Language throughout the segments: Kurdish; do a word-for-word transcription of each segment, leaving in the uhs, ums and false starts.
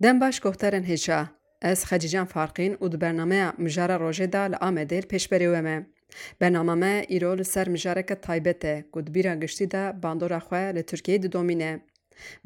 Dem baş guhdarên hêja. Ez Xecîcan Farqîn û di bernameya Mijara Rojê de li Amedê li pêşberê we me. Bernama me îro li ser mijareke taybet e ku di bîra giştî de bandora xwe li Tirkiyeyê didomîne.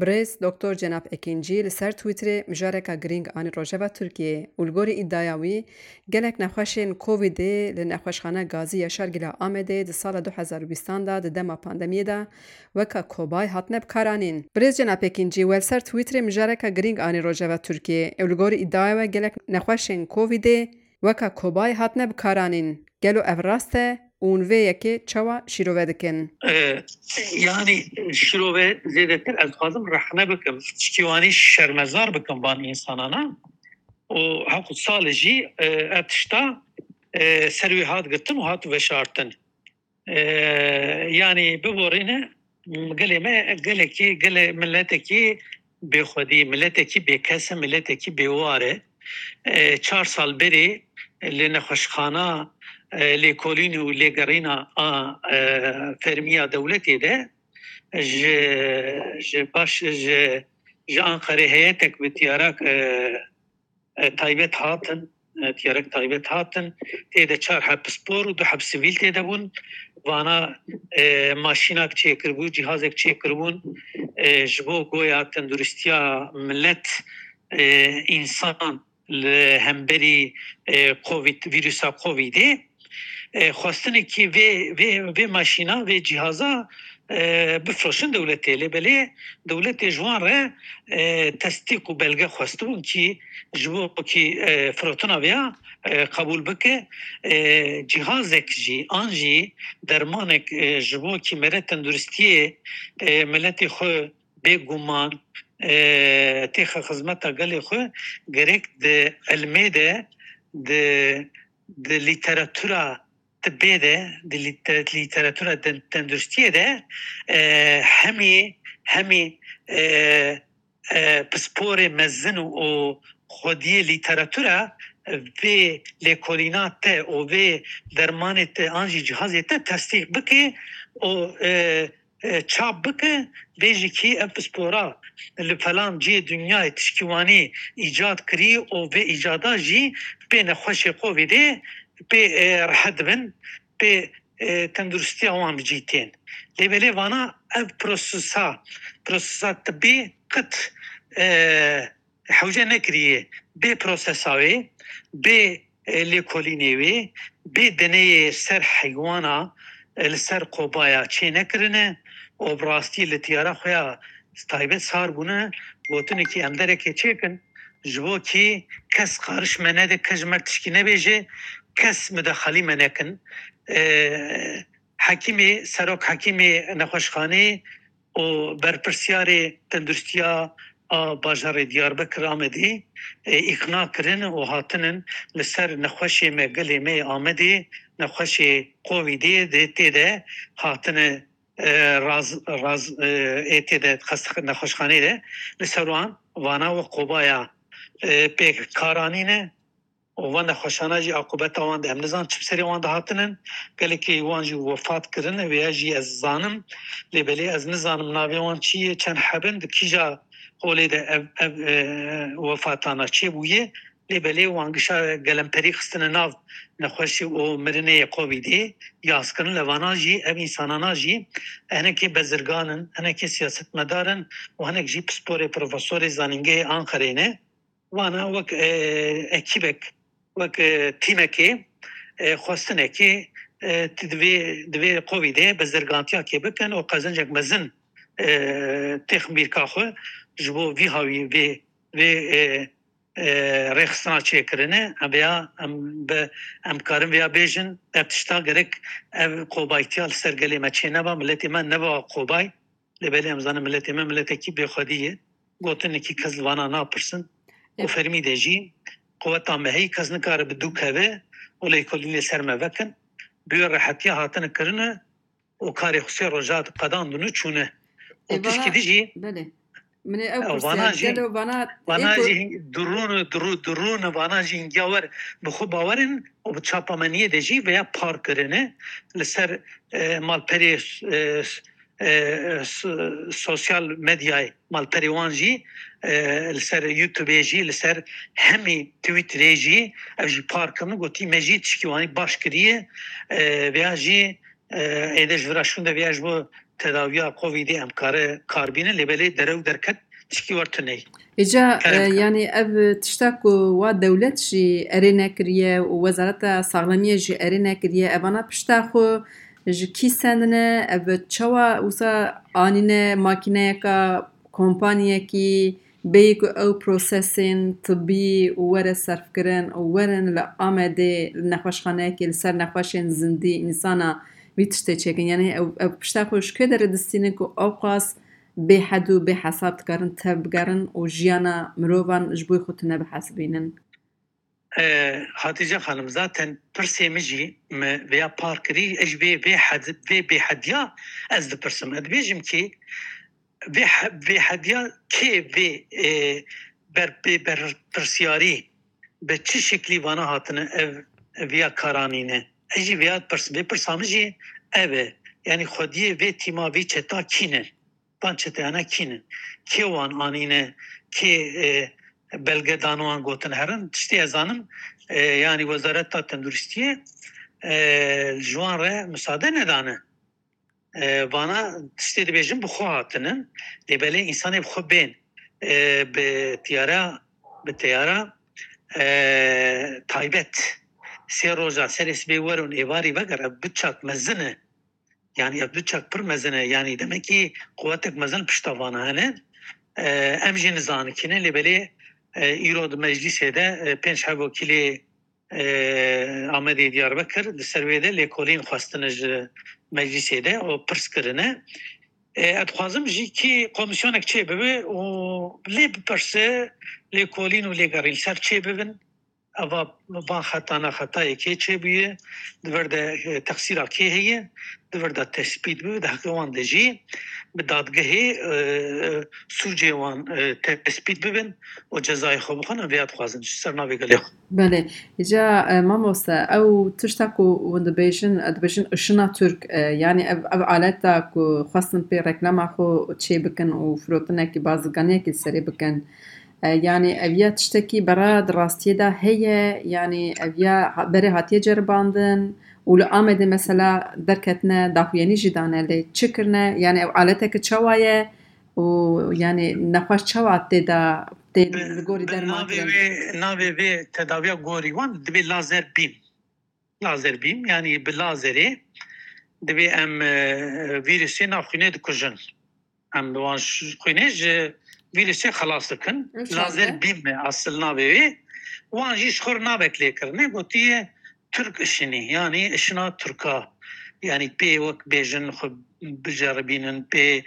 Birêz Doktor Cenab Ekîncî li ser Twitterê mijareka girîng anî rojeva Tirkiyeyê û li gorî îdiaya wî gelek nexweşên Covidê li Nexweşxana Gazî Yaşar Gila Amedê di sala du hezar û bîstan de di dema pandemiyê de weka kobay hatine bikaranîn. Birêz Cenab Ekîncî, we li ser Twitterê mijareka girîng anî rojeva Tirkiyeyê û li gorî îdiaya we gelek nexweşên Covidê weka kobay hatine bikaranîn. Gelo ev rast e û hûn vê yekê çawa şîrove dikin? E, yanî şîrove zêdetir ez dixwazim rehne bikim, tiştî wanî şermezar bikim van însanana û heqû salê jî, e, ev tişta, e, ser wê hat girtin û hat veşartin. E, yanî biborîne, gelê me gelekî, gelê miletekî bêxwedî, miletekî bêkes e, miletekî bêwar e. E, çar sal berê li nexweşxana, e, lêkolîn û lêgerîna a, e, fermiya dewletê de ji, ji baş, ji, ji Anqerê heyetek bi tiyarak, e, e, taybet hatin, e, tiyarek taybet hatin. Tê de çar heb pispor û du heb sivîl tê de bûn. Vana, e, maşînak çêkiribû, cîhazek çêkiribûn, e, ji bo goya tenduristiya milet, e, însan li hemberî, e, Covid, vîrusa Covidê. E, xwestinekî vê, vê, vê maşîna, vê cîhaza, e, bifroşin dewletê. Lê belê dewletê ji wan re, e, tesdîq û belge xwestibûn kî ji bo kî, e, firotina vêya, e, qebûl bike. E, cîhazek jî, an jî dermanek, e, ji bo kî mere tenduristiyê, e, miletê xwe bêguman, e, têxe xizmeta gelê xwe, gerek di ilmê de, di, di lîteratura tibê de, di lîte-, lîteratura den-, tenduristiyê de, e, hemî, hemî, e, e, pisporê mezin û xwediyê lîteratura vê lêkolîna te û vê dermanê te an jî cihazê te tesdîq bike û, e, e, çap bike, bêjî kî ev pispora li felan cihê dinyayê tişkî wanî îcad kirî û vê îcada jî pê nexweşê Covidê pê, e, rehet dibin, pê, e, tenduristiya wan bi cî tên. Lê belê vana ev prosesa, prosesa tibî qet, e, hewce nekiriye bê prosesa wê, bê, e, lêkolînê wê, bê deneyê ser heywana, e, li ser kobaya çê nekirine û bi rastî li tiyara xwe ya taybet sar bûne, gotinekî em derekê çêkin, ji bo kî kes qariş me nede, kes ji me tişkî nebêje, kes midexalî me nekin. E, hekîmê, serok hekîmê nexweşxanê û berpirsyarê tenduristiya a bajarê Diyarbekir Amedê, e, îqna kirin û hatinin li ser nexweşê me, gelê me yê Amedê, nexweşê Covidê de tê de hatine, e, raz, raz, e, ê tê de xest-, nexweşxanê de li ser wan vana we qobaya, e, pê karanîne. Û van nexweşana jî aqûbeta wan de em nizan çi bi serê wan de hatinin. Gelekî wan jî wefat kirine, vêya jî ez zanim. Lê belê ez nizanim navê wan çi ye, çend heb in, di kîja holê de ev, ev, e, wefatana çêbûye. Lê belê wan gişa gelemperî xistine nav nexweşî û mirinê yê Covidê yaz kirin. Lê vana jî, ev însanana jî hinekê bezirgan in, hinekê siyasetmedar in û hinek jî pisporê, profesorê zanîngehê Anqerê ne. Wana wek, e, ekîbek, wek, e, tîmekê, e, xwestinekê, e, ti divê, divê Covidê bezirgantiyakê bikin û qezincek mezin, e, têxin bîrka xwe ji bo vî hawî vê, vê, e, e, rêxistina çêkirine. Em vêya, em bi, em karin vêya bêjin, ev tişta gerek ev qobaytiya li ser gelê me çê neba, miletê me neba qobay. Lê belê em zanin miletê me miletekî bêxwedî ye. Gotinekî kes li vana napirsin. Û Ê- fermî de jî quweta me heyî kes nikare bi dû keve û lêkolînê ser me vekin. Bi wê rehetiya hatine kirine û karê xwe sê roja qedandin û çûne. Û Ê, tişkî vana, din jî belê. Min ê ew Ew, pirsiya vana jî, gelo vana vana ê ku jî hing-, dirûn, dirû-, dirûn, vana jî hingiya wer bi xwe bawer in û bi çapemeniyê de jî veya par kirine li ser, e, malperê, e, e, so-, sosyal medyayê malperê wan jî, e, li ser YouTubeê jî, li ser hemî Twitterê jî ev jî par kirin, gotî me jî tişkî wanî baş kiriye, e, veya jî, e, êde ji vira şûnde veya ji bo tedawiya Covidê em kare kar bînin, lê belê derew derket tişkî wer tuneyî. Îca, Kerem e, bike. Yanî ev tişta ku wa dewlet jî erê nekiriye û Wezareta Saxlemiyê jî erê nekiriye, evana pişta xwe ji kî sendine, ev çawa wisa anîne makîneyeka kompaniyekî bêyî ku ew prosesên tibî û were serfkirin û werin li Amedê li nexweşxaneyekê li ser nexweşên zindî însana vî tiştê çêkin. Yanî ew, ew pişta xwe ji kê derê distînin ku ewqas bêhed û bêhesab dikarin tev bigerin û jiyana mirovan ji bo xwe tune bihesibînin? E, Hatice Xanim, zaten pirsê min jî me vêya par kirî, ez ji vê, vê hed-, vê bêhediya ez dipirsim. Ez dibêjim ki vê he-, vê hediya kê vê, e, ber-, bê berpirsiyarî bi çi şeklî vana hatine ev, ev ya karanîne? Ez jî vêya dipirsim. Vê pirsa min jî ev e. Yanî xwediyê vê tîma, vê çeta kî ne? Van çeteyana kî ne? Kê wan anîne? Kê, e, belge dan wan gotin herin? Tiştê ez zanim, e, yanî Wezareta Tenduristiyê, e, ji wan re misade nedane. E, vana tiştê dibêjin bi xwe hatinin, lê belê însanê bi xwe bên, e, bi tiyara, bi teyara, e, taybet sê roja serê sibê werin êvarî veger, ev du çak mezin e. Yanî ev du çak pir mezin e. Yanî demek ki quwetek mezin pişta vana hene. E, em jî nizanin kî ne, lê belê, e, îro di meclîsê de, e, pênc heb wekîlê, e, Amedê Diyarbekir di ser wê de lêkolîn xwestine ji meclîsê de û pirs kirine. E, ez dixwazim jî kî komîsyonek çê bibe û lê bipirse, lêkolîn û lêgerîn ser çê bibin. Eva van xeta ne xetayê kê çêbûye, di vir de, e, teqsîra kê heye, di vir de tespît bibe, di heqê wan de jî bi dadgehê, e, sûcê wan, e, tespît bibin û cezayê xwe bixwin, em vêya dixwazin ji ser navê gelê xwe. Belê. Îca, e, mamoste, ew tişta ku hûn dibêjin, e, dibêjin ışına Türk, e, yanî ev, ev aleta ku xwestin pê reklama xwe çê bikin û firotinekî bazirganiyekî serê bikin, E, yanî ev ya tiştekî bera di rastiyê de heye, yanî ev ya ha-, berê hatiye ceribandin û li Amedê mesela derketine daxuyanî jî dane lê çi kirine? Yanî ew aleteke çawa ye û yanî nexweş çawa tê de, tê li gorî derman kirin? Navê wê, navê vê tedawiya gorî wan dibê lazer bîm. Lazer bîm, yanî bi lazerê divê em, e, vîrusê nav xwînê dikujin. Em bi wan ş-, xwînê ji vîrusê xelas dikin. Lazer bîm e asil navê wê. Wan jî ji xwe re navek lê kirine, gotiye Türk ışını, yanî ışına Türka. Yanî pê wek bêjin xwe biceribînin, pê,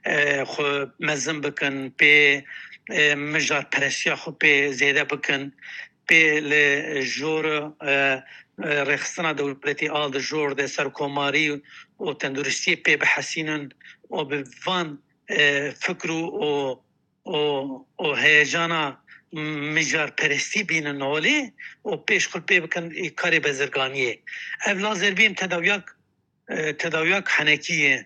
e, xwe mezin bikin, pê, e, mijarperestiya xwe pê zêde bikin. Pê li jor, e, e, rêxistina dewletê a di jor de serkomarî û tenduristiyê pê bihesînin û bi van, e, fikr û, û, û, û heyecana mijarperestî bînin holê û pêş xwe pê bikin, e, karê bezirganiyê. Ev lazer bîm tedawiyak e, tedawiyak henekî ye.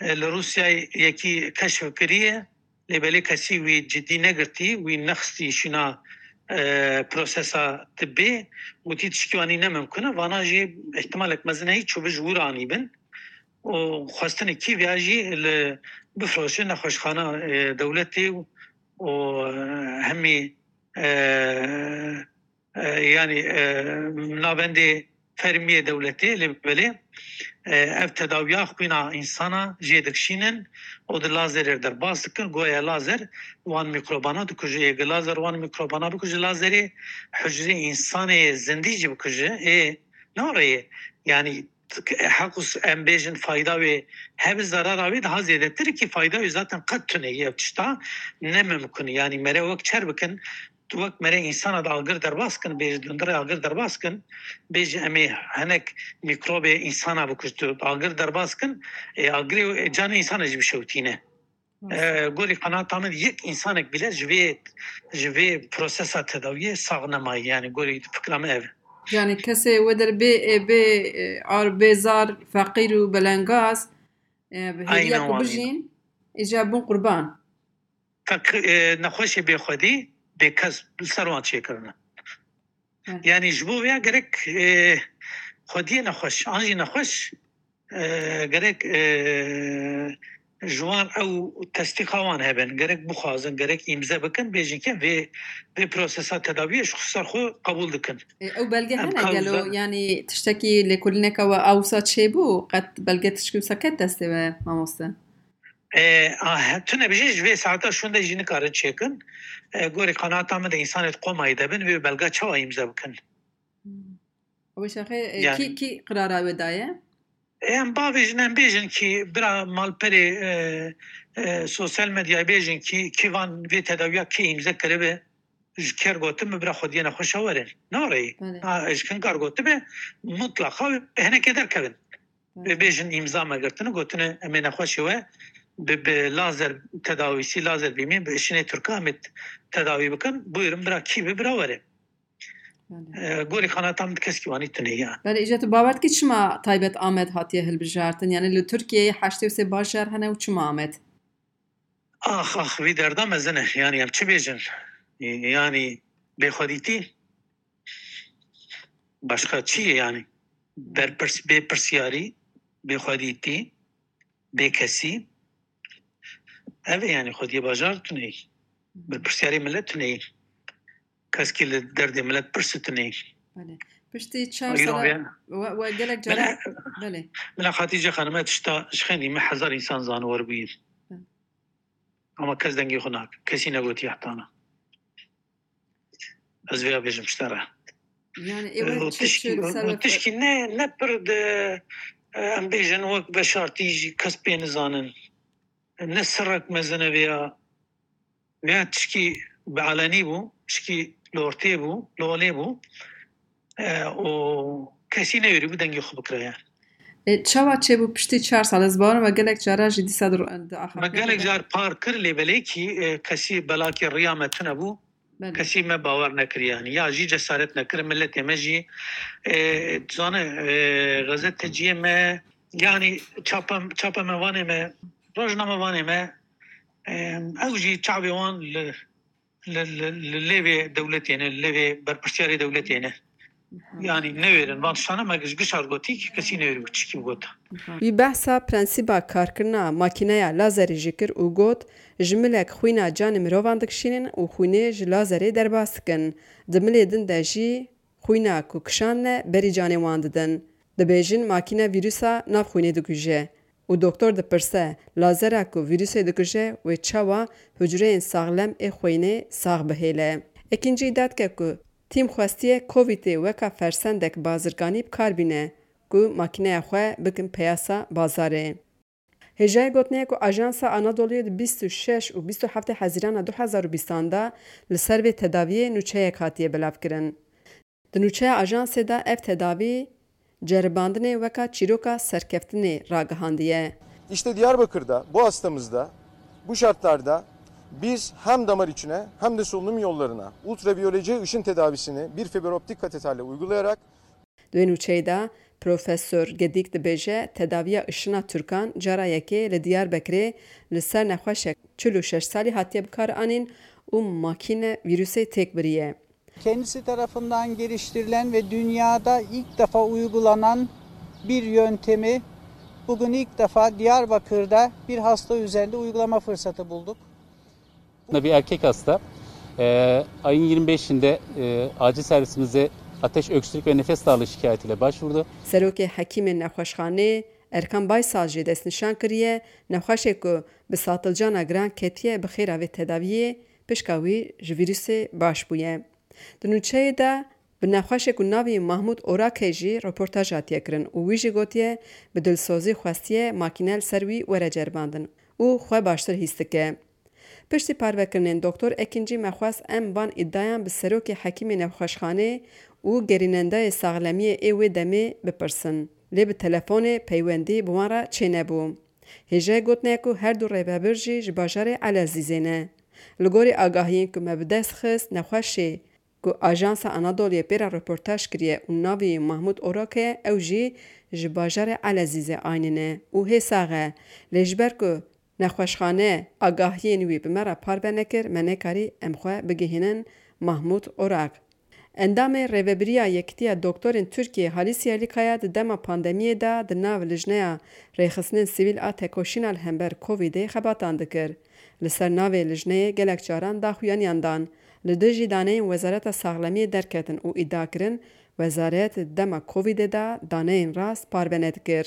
E, li Rûsyayê yekî keşf kiriye, lê belê kesî wî cidî negirtî, wî nexistî şîna, e, prosesa tibbê, gotî tiştî wanî ne mimkun e. Vana jî îhtimalek mezin heye çûbi ji wir anîbin. Û xwestinê Kîvya jî li bifroşe nexweşxana, e, dewletê û, û, e, hemî, e, e, yanî, e, navendê fermiyê dewletê, lê belê, e, ev tedawiya xwîna însana jê dikişînin û di lazerê derbas dikin. Goya lazer wan mîkrobana dikuje. Ê lazer wan mîkrobana bikuje, lazerê hucrê însanê zindî jî bikuje. Ê, ne rê ye. Yanî, heq û s-, em bêjin fayda wê hebe, zerara wê daha zêdetir e, ki fayda wê zaten qet tune ye. Ev tişta ne mimkun e. Yanî mere wek çer bikin, tu wek mere însana de agir derbas kin, bêjî dundirê agir derbas kin, bêjî em ê hinek mîkrobê însana bikujin, tu agir derbas kin, ê, agirê, ê, canê însana jî bişewtîne. E, gorî qenaata min yek însanek bile ji vê, ji vê prosesa tedawiyê sax nemaye, yanî gorî fikra min ev e. Yanî kesê wê der bê, e, bê, e, ar, bêzar, feqîr û belengaz, E, bi hêviya ku bijîn, îca bûn qurban. Feq-, e, nexweşê bêxwedî bê kes li ser wan çêkirine. Hı. Yanî ji bo vêya gerek, e, xwediyê nexweş, an jî nexweş, e, gerek, e, ji wan ew testîqa wan hebin, gerek bixwazin, gerek îmze bikin, bêjin ke vê, vê prosesa tedawiyê ji xwe ser xwe qebûl dikin. E, ew belge hene gelo, yanî tiştekî lêkolîneke we a wisa çêbû, qet belge tişkî wisa ket destê we, mamoste? E, a, he, tune bijî ji vê saeta şûnde jî nikarin çêkin. E, gorî qenaeta min de însanê di qomayî de bin, vê belga çawa îmze bikin? Hmm. Ew şaxê, e, kî, kî qirara wê daye? Em bavêjin, em bêjin kî bira malperê, e, e, sosyal medyayê bêjin kî, kî van vê tedawiya kî îmze kiribe, ji ker gotin bi bira xwediyê nexweşa werin. Ne reyî. Belê. Ha, ji kinkar gotibe, mutlaqa hinekê derkevin. Belê. Vê bêjin îmza me girtine, gotine em ê nexweşê we bi, bi lazer tedawîsî, lazer bîmî, bi şinê Tirka em ê tedawî bikin. Buyurun bira kî bi bira were. Belê. E, gorî qanata min di keskî wanî tune ya. Belê, îca tu bawer dikî çima taybet Amed hatiye hilbijartin? Yanî li Tirkiyeyê heştê û sê bajar hene û çima Amed? Ax, ax, vî derda mezin e. Yanî em çi bêjin? Yanî bêxwedîtî? Başka çi ye yanî? Berpirs-, bêpirsiyarî, bêxwedîtî, bêkesî. Ev e yanî xwediyê bajar tuneyî. Berpirsiyarê milet tuneyî. Keskî li derdê milet pirsi tuneyî. Belê. Piştî çar sala we, we gelek cara, belê. Bila Xatîce Xanime tişta ji xênî me hezar însan zaniwer bûyî. Belê. Ama kes dengê xwe nake. Kesî negotiye heta na. Ez vêya bêjim ji te re. Yani, ê we çi, tişkî, çi li ser we tişkî ne, ne pir de, e, em bêjin wek veşartî jî kes pê nizanin. Ne sirrek mezin e vêya. Vêya tişkî bi alenî bû, tişkî li ortê bû, li olê bû. E, û kesî newêrîbû dengê xwe bikire yani. E, çawa çêbû piştî çar sal? Ez bawerim we gelek cara jî dîsa di, di axaftinê. Me gelek car par kir, lê belê kî, e, kesî belakî riya me tune bû. Belê. Kesî me bawer nekir yani. Ya jî cesaret nekir, milletê me jî, e, dizane, e, gazeteciyê me, yani çapa, çapemevanê me, rojnamevanê me, e, ew jî çavê wan li li, li, li lêvê dewletê ne, li lêvê berpirsiyarê dewletê ne. Yanî newêrin van tiştane me giş-, gişar gotî ki kesî newêrî û çikî got. Wî behsa prensîba karkirina makîneya lazerê jî kir û got, ji milek xwîna canê mirovan dikişînin û xwînê ji lazerê derbas dikin. Di milê din de jî xwîna ku kişandine berî canê wan didin. Dibêjin makîne vîrusa nav xwînê dikuje. Û doktor dipirse, lazera ku vîrusê dikuje wê çawa hucreyên saxlem ê xwînê sax bihêle. Ekîncî îdia dike ku tîm xwestiye Covidê weka fersendek bazirganî bi kar bîne ku makîneya xwe bikin peyasa bazarê. Hêjayê gotinê ye ku Ajansa Anadolu'yê di bîst û şeş û bîst û heftê Hezîrana du hezar û bîstan de li ser vê tedaviyê nûçeyek hatiye belavkirin. Di nûçeya ajansê de ev tedavî ceribandinê weka çîroka serkeftinê ragihandiye. İşte Diyarbakır'da bu hastamızda bu şartlarda biz hem damar içine hem de solunum yollarına ultraviyolece ışın tedavisini bir fiber optik kateterle uygulayarak Di wê nûçeyê de Profesor Gedik dibêje, tedaviya ışina Tirkan cara yekê li Diyarbekirê li ser nexweşek çil û şeş salî hatiye bikaranîn û makîne vîrusê têk biriye. Kendisi tarafından geliştirilen ve dünyada ilk defa uygulanan bir yöntemi bugün ilk defa Diyarbakır'da bir hasta üzerinde uygulama fırsatı bulduk. Bunda bir erkek hasta, e, ayın yirmi beşinde, e, acil servisimizde ateş, öksürük ve nefes darlığı şikayetiyle başvurdu. Serokê Hekîmên Nexweşxanê Erkan Baysal jî destnîşan kiriye, nexweşê ku bi satilcana giran ketiye bi xêra vê tedaviyê pişka wî ji vîrusê baş bûye. Di nûçeyê de bi nexweşê ku navê Mahmûd Orakê jî reportaj hatiye kirin û wî jî gotiye, bi dilsozî xwestiye makîne li ser wî were ceribandin û xwe baştir hîs dike. Piştî parvekirinên Doktor Ekincî me xwest em van îdiayan bi serokê hekîmê nexweşxanê û gerînendayê saxlemiyê ê wê demê bipirsin. Lê bi telefonê peywendî bi wan re çênebû. Hêjayê gotinê ye ku her du rêvebir jî ji bajarê Elezîzê ne. Li gorî agahiyên ku me bi dest xist, nexweşê Ku Ajansa Anadoluyê pê re reportaj kiriye û navê wî Mahmûd Orak e, ew jî ji bajarê Elezîzê Aynîn e û hê sax e. Lê ji ber ku nexweşxane agahiyên wî bi me re parve nekir, me nekarî em xwe bigihînin Mahmûd Orak. Endamê Rêvebiriya Yekitiya Doktorên Tirkiyê Halis Yerlikaya di dema pandemiyê de di nav Lijneya Rêxistinên Sivîl a Tekoşîna li hember Covidê xebatan dikir. Li ser navê lijneyê gelek caran daxuyaniyan dan. Li dijî daneyên Wezareta Saxlemiyê derketin û îdia kirin, Wezaret di dema Covidê de daneyên rast parve nedikir.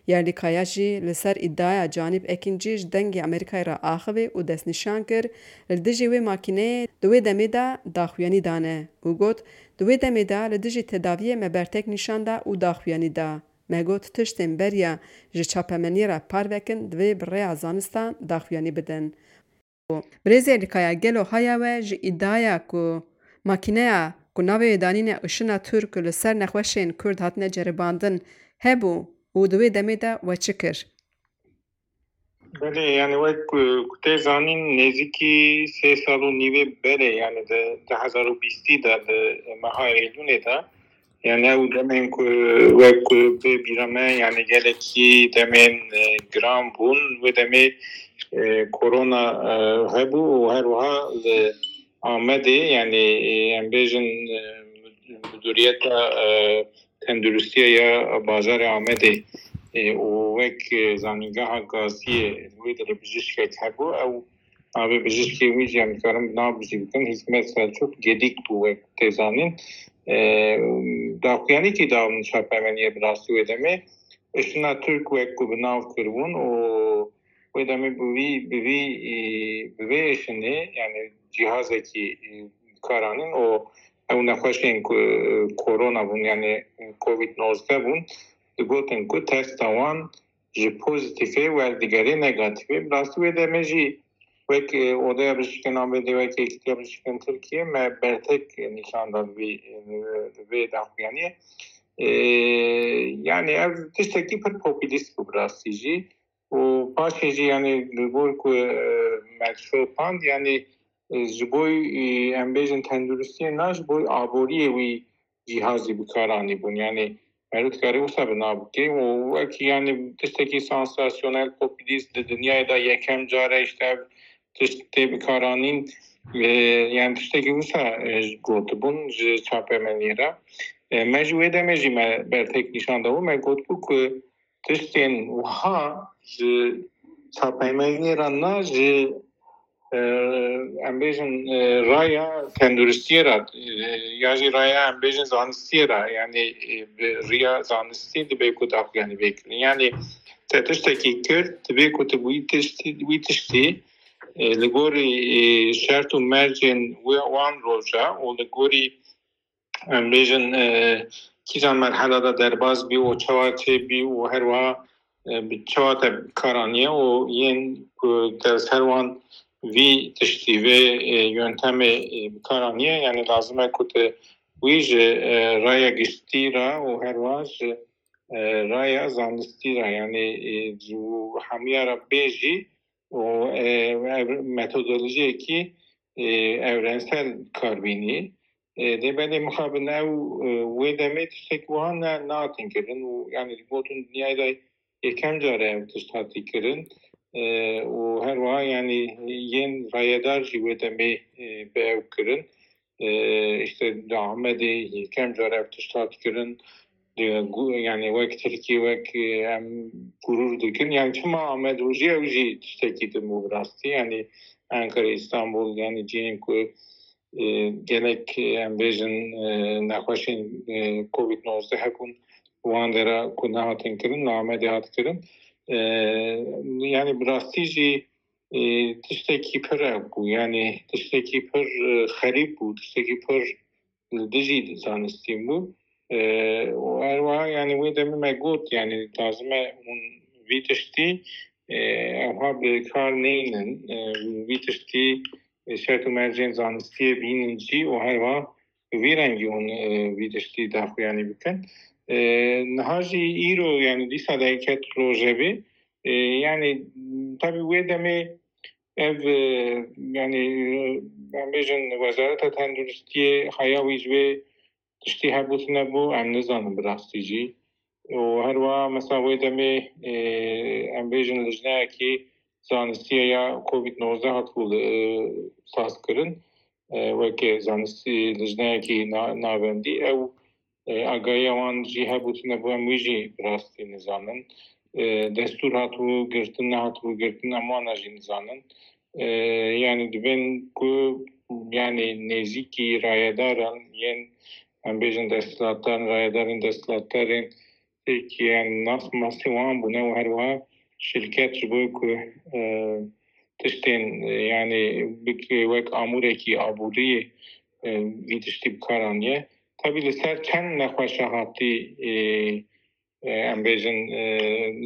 Yerlikaya jî li ser îdiaya Canîb Ekîncî ji Dengê Amerîkayê re axivî û destnîşan kir, li dijî wê makîneyê di wê demê de daxuyanî dane û got, di wê demê de li dijî tedaviyê me bertek nîşan da û daxuyanî da. Me got, tiştên beriya ji çapemeniyê re parve kin, divê bi rêya zanistan daxuyanî bidin. Birêz Yerlikaya, gelo haya we ji îdiaya ku makîneya ku navê wê danîne Işina Türk li ser nexweşên Kurd hatine ceribandin hebû û di wê demê de we çi kir? Belê, yani wek ku, ku tê zanîn, nêzîkî sê sal û nîvê berê, yani di du hezar û bîstî de, di meha Eylûlê de, yani ew demên ku wek ku bê bîra me, yani gelekî demên, e, giran bûn. Wê demê, e, korona, e, hebû û her wiha li Amedê, yani, e, em bêjin, e, Muduriyeta, e, Tenduristiya ya bajarê Amedê, e, û wek, e, zanîngeha gaziyê li wê derê bijîşkek hebû. Ew navê bijîşkê wî jî em dikarin bi nav jî bikin. Hîsmet Selçuk Gedik bû, wek tê zanîn. E, daxuyanîkî da çapemeniyê bi rastî wê demê. Işina Türk wek ku bi nav kiribûn û wê demê bi vî, bi vî, e, bi vê êşinê, yani cîhazekî, e, bi kar anîn û ew nexweşên ku, e, korona bûn, yani covid nozdeh bûn, digotin ku testa wan ji pozîtîfê werdigerê negatîfê. Bi rastî wê demê jî wek, e, Odaya Bijîşkên Amedê, wek Yekîtiya Bijîşkên Tirkiye me bertek nîşan da vê, e, vê daxuyaniyê. E, yani ev tiştekî pir populîst bû bi rastî jî. Û paşê jî, yani, li gor ku, e, me şopand, yani, e, ji bo, e, em bêjin tenduristiyê na, ji bo aboriyê wî cîhazî bi kar anîbûn. Yani, meriv dikarî wisa bi nav bike û wekî, yani, tiştekî sansasyonel, populîst di dinyayê de yekem car e, işte, ev tişt tê bikaranîn, e, yani, tiştekî wisa, e, gotibûn ji çapemeniyê re. E, me ji wê demê jî me bertek nîşan dabû, me gotibû ku tiştên wiha ji çapemeniyê re na, ji, e, em bêjin, e, raya tenduristiyê re, e, ya jî raya em bêjin zanistiyê re, yani, e, bi riya zanistî dibe ku daxuyanî vê kirin. Yani te tiştekî kir, dibe ku tu wî tiştî, wî tiştî, e, li gorî, e, şert û mercên wê, wan roja û li gorî em bêjin, e, kîjan merhela de derbas bî û çawa çêbî û her wiha, e, bi çawa te bi kar aniye û yên ku te li ser wan vî tiştî, vê, e, yöntemê, e, bi kar aniye, yani lazim e ku te wî ji, e, raya giştî re û her wiha ji, e, raya zanistî re, yani, e, ji hemiya re bê jî û, e, ev metodolojiyekî, e, evrensel kar bînî. E, lê belê mixabin ew, e, wê demê tiştek wiha ne, nehatin kirin û, yani, gotin dinyayê de yekem car e ev tişt hatî kirin. E, û her wiha, yani, yên rayedar jî wê demê, e, bi ew kirin. E, işte di Amedê yekem car ev tişt hat kirin. Di gu-, yani wek Tirkî, wek, e, em gurur dikin. Yani çima Amed rojî ew jî tiştekî din bû bi rastî. Yani Ankara, Îstanbul, yani cihên ku, e, gelek, e, em bêjin, e, nexweşên, e, covid nozdeh hebûn, wan dera ku nehatin kirin, li Amedê hat kirin. E, yani bi rastî jî, e, tiştekî pir ev bû. Yani tiştekî pir, e, xerîb bû, tiştekî pir li dijî zanistî bû. E, û her wiha, yani, wê demê me got, yani, lazim e hûn vî tiştî, e, evha bi kar neynin, e, vî tiştî, e, şert û mercên zanistiyê bînin jî û her wiha bi vî rengî hûn, e, vî tiştî daxuyanî bikin. E, niha jî îro, yani, dîsa derket rojevê, e, yani, tabî wê demê Ev, e, yanî, e, em bêjin Wezareta Tenduristiyê heya wî ji vê tiştî hebûtine bû, em nizanin bi rastî jî. Û her wiha mesela wê demê, e, em bêjin lijneyekî zanistiye ya Covid nozdeh hatibû, e, sazkirin. E, weke zanistî lijneyekî na-, navendî ew, e, agahiya wan jî hebûtine bû, em wî jî bi rastî nizanin. E, destûr hatibû girtin, nehatibû girtin, em wana jî nizanin. E, yanî dibên ku, yanî nêzîkî rayedaran yên, em bêjin desthilatdaran, rayedarên desthilatdarên Tirkiye nas masî wan bûne û her wiha şirket ji bo ku, e, tiştên, e, yanî bik-, wek amûrekî aboriyê, e, vî tiştî bi kar aniye. Tabî li ser çend nexweşa hatî, e, e, em bêjin, e,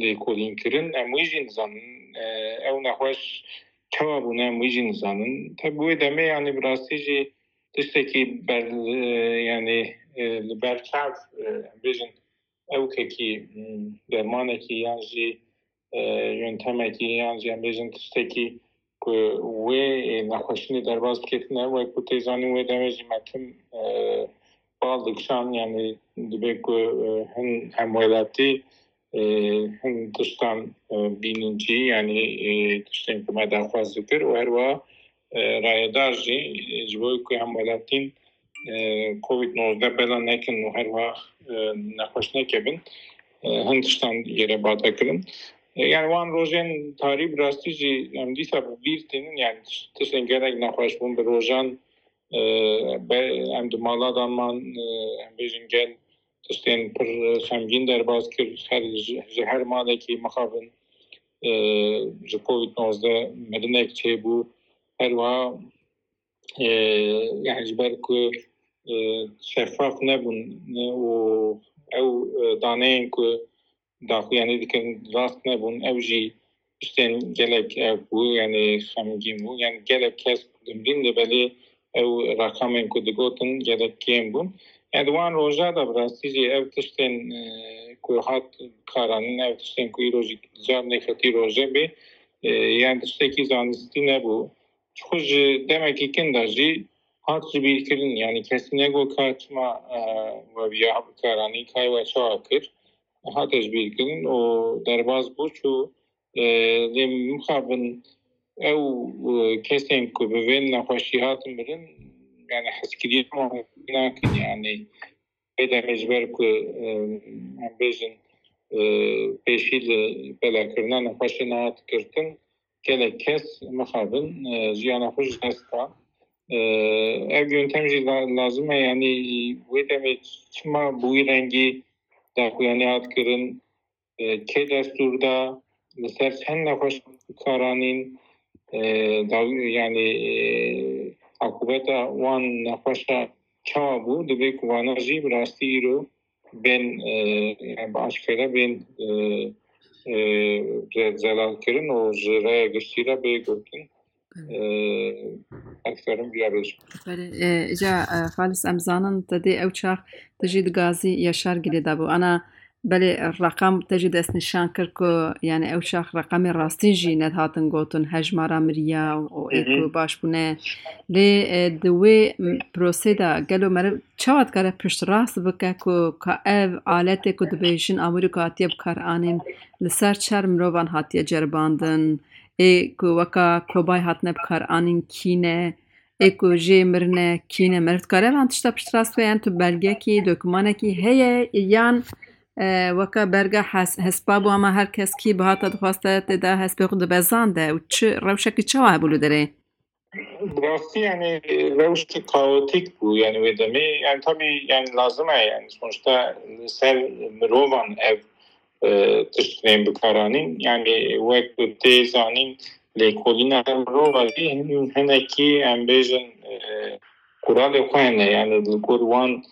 lêkolîn kirin, em wî jî nizanin. E, ew nexweş çawa bûne, em wî jî nizanin. Tabi wê demê, yanî bi rastî jî tiştekî ber, e, yanî, e, li ber çav, e, em bêjin ewkekî, m, dermanekî yan jî, e, yöntemekî yan jî em bêjin tiştekî ku wê, e, nexweşînê derbas bike tune. Wek ku tê zanîn wê demê jî me tim, e, bal dikişand, yanî dibê ku, e, hin hemwelatî, e, hin tiştan, e, bînin cî, yanî, e, tiştên ku me daxwaz dikir û her wiha, e, rayedar jî, e, ji bo ku hemwelatîn, e, Covid nozdeh bela nekin û her wiha, e, nexweş nekevin, e, hin tiştan yê re bate kirin. E, yanî wan rojên tarî bi rastî jî em dîsa bi bîr tînin, yanî tiş-, tiştên gelek nexweş bûn bi rojan, e, be-, em di mala de man, e, em bêjin gel tiştên pir xemgîn derbas kir, her ji, ji her malekî mixabin, e, ji Covid nozdeh mirinek çêbû. Her wiha, e, yani ji ber ku, e, şeffaf nebûn, e, û ew, e, daneyên ku daxuyanî dikirin rast nebûn, ew jî tiştên gelek ev bû, yani xemgîn bû. Yani gelek kes dimrîn, lê belê ew reqamên ku digotin gelek kêm bûn. Yani di wan roja de bi rastî jî ev tiştên, e, ku hat karanîn, ev tiştên ku îro jî car nêketî roje bê, e, yani tiştekî zanistî nebû. Ji xwe ji demekî kin de jî hat ji bîr kirin, yani kesî negot ka çima, e, we viya bikaranî, kay we çawa kir, hate ji bîr kirin û derbas bû çû. E, lê mixabin ew, e, kesên ku bi vê nexweşî hatin mirin, yani hezkiriyê wan nakin, yani vê demê ji ber ku, e, em bêjin, e, pêşî li belakirina nexweşê nehat girtin, gelek kes mixabin, e, jiyana xwe ji dest da. E, ev yöntem jî la-, lazim e, yani wê demê çima bi wî rengî daxuyanî hat kirin, e, kê destûr da, li ser çend nexweş karanîn, e, daw-, yani, e, akubeta wan nexweşa çawa bû, divê ku vana jî bi rastî îro bên, e, yani bi aşkere bên, e, e, ze-, zelal kirin û ji raya giştî re bê gotin. E, ez karim vira bêjim. Belê, e, ja, e, Xalis, em zanin te dê ew çax te jî di gazî Yaşar Gilê de bû. Ana, belê, reqam te jî destnîşan kir ku, yani ew çax reqamê rastîn jî nedihatin gotin, hejmara miriya û ê Hı hı. ku baş bûne. Lê, e, di wê, m, prosê de gelo meriv çawa dikare piştrast bike ku ka ev aletê ku dibêjin amûrî ku hatiye bikaranîn li ser çar mirovan hatiye ceribandin, ê ku weka kobayê hatine bikaranîn kî ne, ê ku jê mirine kî ne? Meriv dikare van tişta piştrast bike, yan tu belgekî, dokumanekî heye yan, e, weka berga hes-, hespa bû, ama her kes kî bihata dixwaste tê de hespê xwe dibezande û çi rewşekî çawa hebû li derê? Bi rastî, yani, rewşek kaotîk bû, yani, wê demê. Yani, tabii, yani, lazim e, yani, sonuçta li ser mirovan ev, e, tişt bên bikaranîn. Yani, wek ku tê zanîn, lêkolîna her mirova jî hin-, hinekî, em bêjin, e, quralê xwe hene. Yani, li gor wan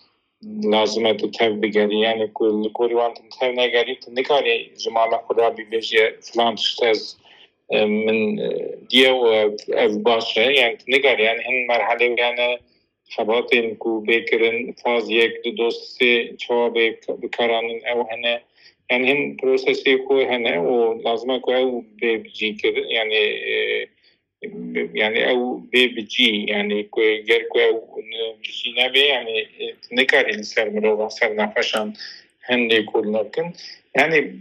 lazim e tu tev bigerî. Yani, ku li gorî wan tu tev negerî, tu nikarî ji mala xwe rabî bêjî, filan tişt ez, e, min, e, diye û ev, ev baş e. Yani, tu nikarî, yani, hin merhelê wê hene, xebatên ku bê kirin, faz yek, du, doz, sê, çawa bê bikaranîn, ew hene. Yani, hin prosesê xwe hene û lazim e ku ew bê cî kirin. Yani, e, Yani ew bê bi cî, yani ku ger ku ew bi cî nebe, yani e, tu nikarî li ser mirovan, ser nexweşan hin lêkolîna bikin. Yani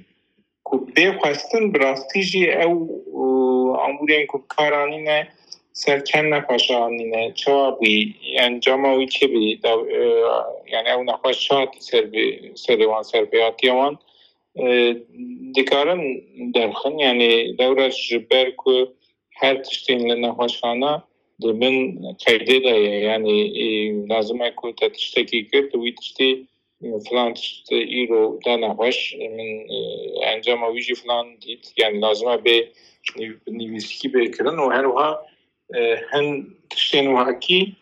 ku bê xwestin, bi rastî jî ew e, amûrên ku bi kar anîne, ser çend nexweşa anîne, çawa bûyî, encama wî çi bûyî, da, e, yani ew nexweş çi hatî ser bi, serê wan, ser pêhatiya wan, e, dikarin derxin, yani lewra ji ber ku her tiştên li nexweşxana di bin qeydê de ye. Yani e, lazim e ku te tiştekî kir, tu wî tiştî, e, filan tişt îro da nexweş, e, min e, encama wî jî filan dît. Yani lazim e bê nîv- nivîskî bê kirin û her wiha e, hin tiştên wekî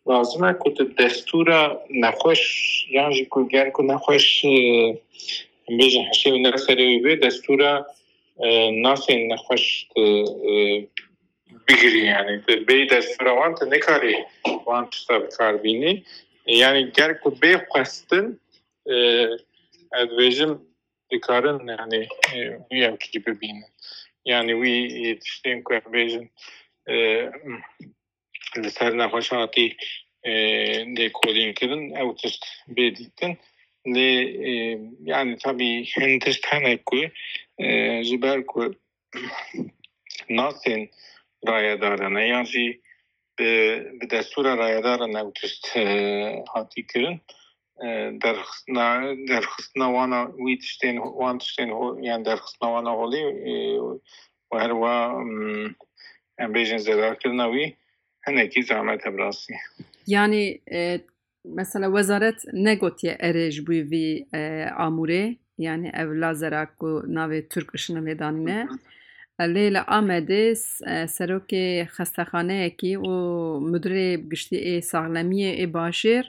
lazim e ku tu destûra nexweş, yan jî ku ger ku nexweş, e, em bêjin hişê wî ne serê wî bê, destûra e, nasên nexweş tu e, bigirî, yani tu bê destûra wan tu nikarî wan tişta bi kar bînî. Yani ger ku bê xwestin, e, ez dibêjim dikarin, yani e, wî yekî bibînin. Yani wî e, tiştên ku em bêjin e, li ser nexweşa hatî e, lêkolîn kirin, ew tişt bê dîtin. Lê e, yani tabî hin tişt hene ku e, ji ber ku nasên rayedaran e, yan jî bi, bi destûra rayedaran ew tişt e, hatî kirin. E, derxistina, derxistina wana wî tiştên, wan tiştên ho-, yani derxistina wana holê e, û her wa, mm, em bêjin zerarkirina wî hinekî zehmet e bi rastî. Yani e, mesela wezaret negotiye erê ji bo vî e, amûrê, yani ev lazera ku navê Türk Işını lê danîne. Lê li Amedê s- e, serokê xestexaneyekî û mudirê giştî ê saxlemiyê ê bajêr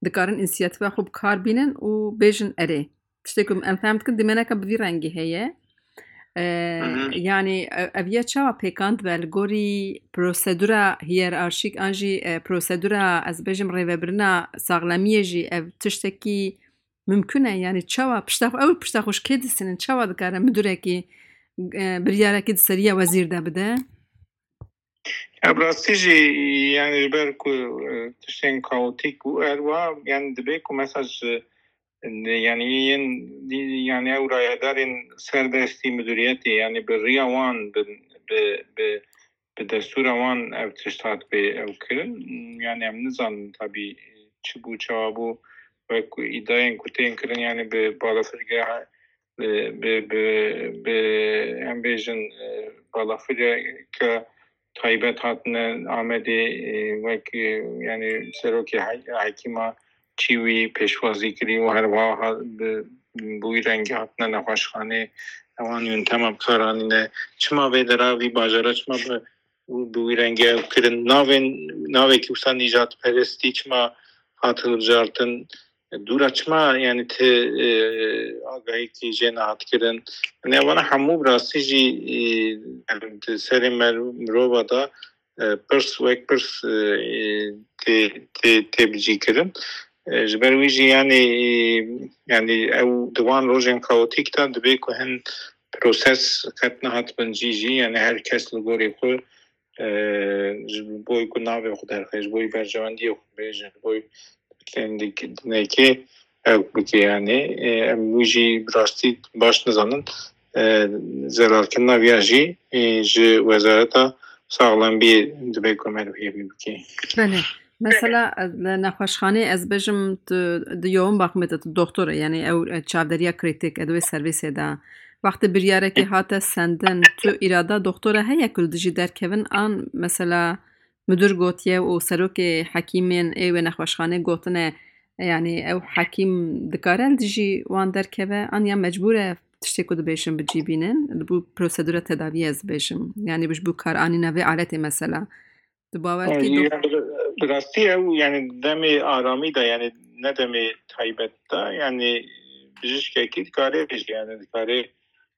dikarin însiyatîfa xwe bi kar bînin û bêjin erê. Tiştê ku em fehm dikin, dîmeneke bi vî rengî heye. E, Hı hı. Yani e, ev ye çawa pêkan dibe li gorî prosedura hiyerarşîk an jî e, prosedura, ez bêjim, rêvebirina saxlemiyê jî ev tiştekî mimkun e? Yani çawa pişta xwe, ew pişta xwe ji kê disînin? Çawa dikare mudirekî e, biryarekî di seriya wezîr de bide? Ya bi rastî jî, yani ji ber ku e, tiştên kaotîk û her wiha, yani dibê ku mesela ji, yani yên, yani ew rayedarên serdestî mudiriyetê, yani bi riya wan, bi, bi, bi, bi destûra wan ev tişt hat pê ew kirin. Yani em nizanin tabî çi bû, çawa bû, wek îdayên ku tên kirin, yani bi balafirgeha, bi, bi, bi, bi em bêjin e, balafirgeke taybet hatine Amedê, e, wek e, yani serokê he- hekîma çî wî pêşwazî kirî û her wiha ha- bi, bi wî rengî hatine nexweşxanê, ewan yûntema bi kar anîne. Çima vê dera vî bajara, çima bi, bi wî rengî ew kirin? Navên, navekî wisa nîjadperestî çima hat hilbijartin? Dûra çima, yani ti e, agahiyekî jê nehat kirin? Yani evana hemû bi rastî jî e, em di serê mer- mirova de e, pirs wek pirs e, tê, tê, tê bicî kirin. E, ji ber wî jî yani, e, yani ew di wan rojên kaotîk de dibê ku hin proses qet nehat bin cî jî, yani her kes li gorî xwe e, ji bo ku navê xwe derxe, ji bo berjewendiyê xwe bê, ji bo dinekê ew bike, yani e, em wî jî bi rastî baş nizanin. E, zerarkirina viya jî e, ji Wezareta Saxlembiyê dibe ku me li hêvî bike. Belê. Mesela e, li nexweşxanê, ez bêjim, tu di yoğun bakımê de tu doktor e, yani ew e, çavderiya kritik e, di wê servîsê de. Wextê biryarekê hate sendin, tu îrada doktora heye ku li dijî derkevin an mesela müdür gotiye û serokê hekîmên ê wê nexweşxanê gotine, yani ew hekîm dikare li dijî wan derkeve an ya mecbûr e tiştê ku dibêjin bi cî bînin, li bo prosedura tedaviyê ez dibêjim. Yani ji bo kar anîna vê aletê mesela. Tu bawer dikî? Bi rastî ew yani demê aramî de, yani ne demê taybet de, yani bijîşkekî dikare bêje, yani dikare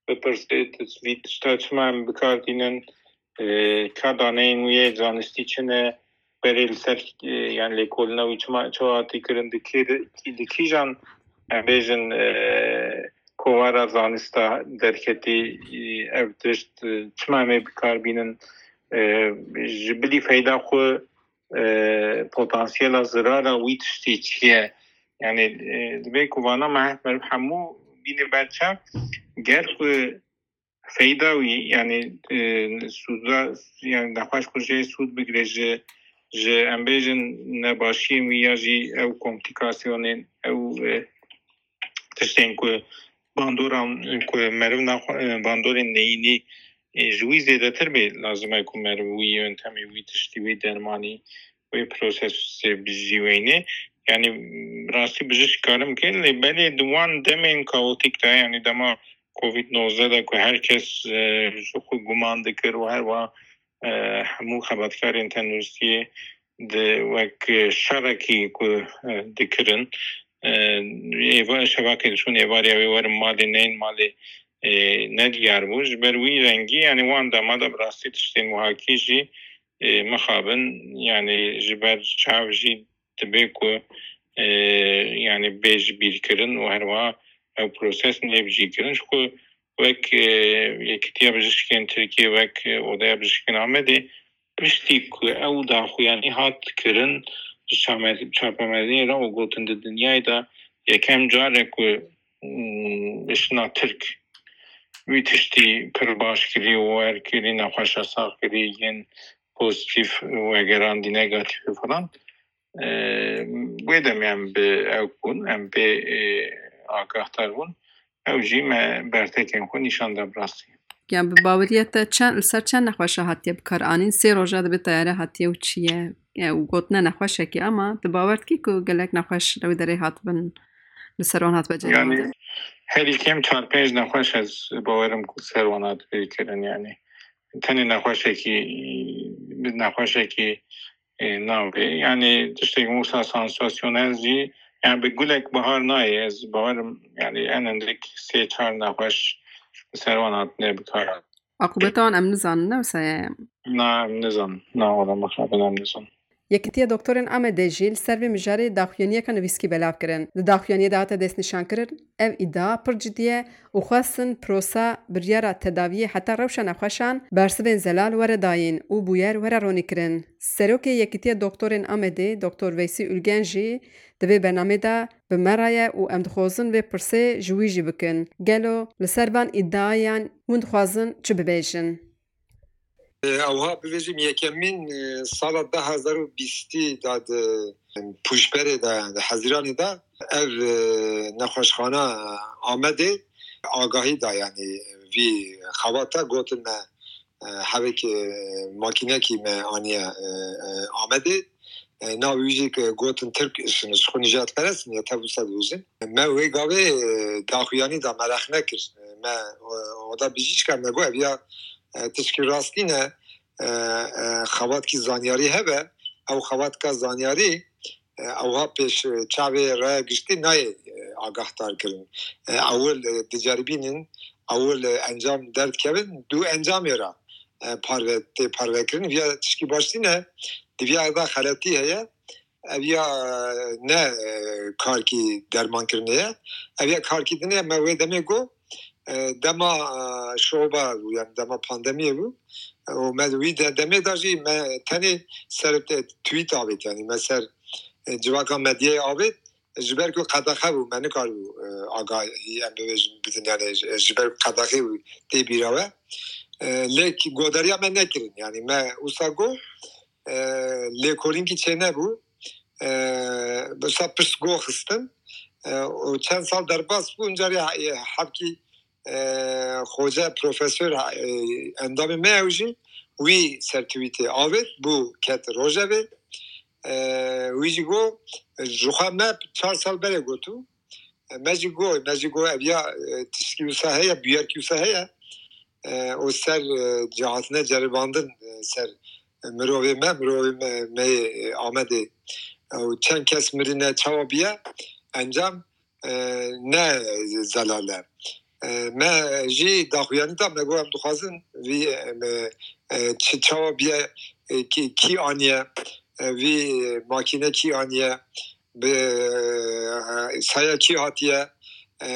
bipirsê, tu vî tişta çima em bi kar tînin, e, ka daneyên wî yê zanistî çi ne, berê li ser e, yani lêkolîna wî çima çawa hatî kirin, di kê de, di kîjan, em bêjin, e, kovara zanista derketî e, ev tişt, e, çima em ê bi kar bînin, e, ji bilî feyda xwe, e, potansiyela zirara wî tiştî çi ye? Yani, e, divê ku vana me meriv hemû bîne berçav, ger ku feyda wî, yani, e, sûda, yani, nexweş ku jê sûd bigire ji, ji, em bêjin, nebaşiyên wî ya jî ew komplîkasyonên, ew, e, tiştên ku bandoran ku meriv naxwe-, e, bandorên neyînî, e, ji wî zêdetir bê, lazim e ku meriv wî yöntemê, wî tiştî, wî dermanî, wê prosesê bi jî weyne. Yani, rastî bijîşk karim ke, lê belê di wan demên kaotîk de, yani dema covid nozdeh de ku her kes, e, ji xwe guman dikir û her wa, e, hemû xebatkarên tenduristiyê di wek şerekî ku, e, dikirin, e, êva-, şevakê diçûn êvariya wê werin malê, neyên malê, e, nediyar bû. Ji ber wî rengî, yani wan dema de bi rastî tiştên wahakî jî, e, mixabin, yani ji ber çav jî dibe ku, e, yani bê ji bîr kirin û herwiha ew proses nebe bi cî kirin. Ji ku wek, e, Yekîtiya Bijîşkên Tirkiyê, wek, e, Odeya Bijîşkên Amedê, piştî ku ew daxuyanî hat kirin, ji çame-, çapemerdinê re û gotin di dinyayê de yekem car e ku, mm, işina Tirk wî tiştî pir baş kirî û wer kirî, nexweşa sax kirî, yên pozîtîf wegerandî, negatîf û falan. E, wê demê em bi ew bûn, em pê, e, agahdar bûn. Ew jî me bertekên xwe nîşan da bi rastî. Yani bi baweriya te çend, li ser çend nexweşa hatiye bi kar anîn? Sê roja dibe teyare hatiye û çi ye? Yani û gotine nexweşekî, ama tu bawer dikî ku gelek nexweş li wê derê hatibin, li ser wan hatibe ceribandan? Yani herî kêm çar pênc nexweş ez bawerim ku ser wan hatibe kirin, yani. Tenê nexweşekî, nexweşekî, e, navê. Yani tiştek wisa sansasyonel jî, yani bi gulek bahar nayê. Ez bawerim, yani en endik sê çar nexweş li ser wan hatine bi kar. Aqûbeta wan em nizanin, ne wisa ye? Na, em nizanin. Na, wala mixabin em nizanin. Yekîtiya Doktorên Amedê jî li ser vê mijarê daxuyaniyeke nivîskî belav kirin. Di daxuyaniyê de hate destnîşankirin, ev îdia pir cidî ye û xwestin prosa biryara tedawiyê heta rewşa nexweşan bersivên zelal were dayîn û bûyer were ronîkirin. Serokê Yekîtiya Doktorên Amedê, Doktor Veysî Ülgen jî di vê bernameyê de bi me re ye û em dixwazin vê pirsê ji wî jî bikin. Gelo li ser van îdiayan hûn dixwazin çi bibêjin? Ewha bibêjim, yekemîn, e, sala du hezar û bîstî de di Pûşberê de, di Hezîranê de ev, e, nexweşxana Amedê agahî da, yanî vî xebata gotin me, e, hevek, e, makînekî me aniye, e, e, Amedê. E, navê wî jî ke gotin Tirk, ji, ji xwe nijadperest in, ya tev wisa dibêjin. Me wê gavê, e, daxuyanî da, me rex nekir. E, me, e, oda bijîşka me got, ev ya, e, tişkî rastî ne, e, e, xebatkî zanyarî hebe, ew xebatka zanyarî, e, ewha pêş, e, çavê raya giştî nayê, e, agahdar kirin. E, ewil, e, diceribînin, ewil, e, encam derdikevin, dû encamê re, e, parve, tê parve kirin. Viya tişkî baş nîne, di viya da xeletî heye. Ev ya, e, ne, e, karkî dermankirinê ye. Ev ya karkî dinê ye, me wê demê got, e, dema, e, şoba bû, yani dema pandemiyê bû. E, û me wî de-, demê de jî me tenê ser te-, tweet avêt, yani me ser, e, civaka medyayê avêt, ji ber ku qedexe bû, me nikaribû, e, agahî em bibêjin, bidin, yani ji, ji ber ku qedexe bû tê bîra we. E, lê godariya me nekirin, yani me wisa got, e, lêkolînkî çênebû, e, wisa pişt go xistin, e, û çend sal derbas bû, incarê he-, hevkî, e, xoce profesor, e, endamê me ew jî wî ser tweetê avêt, bû ket rojevê, e, wî jî got, ji xwe me çar sal berê gotû, me jî got, me jî got, ev ya, e, tiştkî wisa heye, bûyerkî wisa heye, e, û ser, e, cihatine ceribandin, e, ser mirovê me, mirovê me, me yê, e, Amedê, e, û çend kes mirine, çawa biye, encam, e, ne zelal e. E, me jî daxuyanî da, me got, em dixwazin vî, e, me, e, çi, çawa biye, e, kî, kî aniye, e, vî makîne kî aniye, bi, e, saya kî hatiye, e,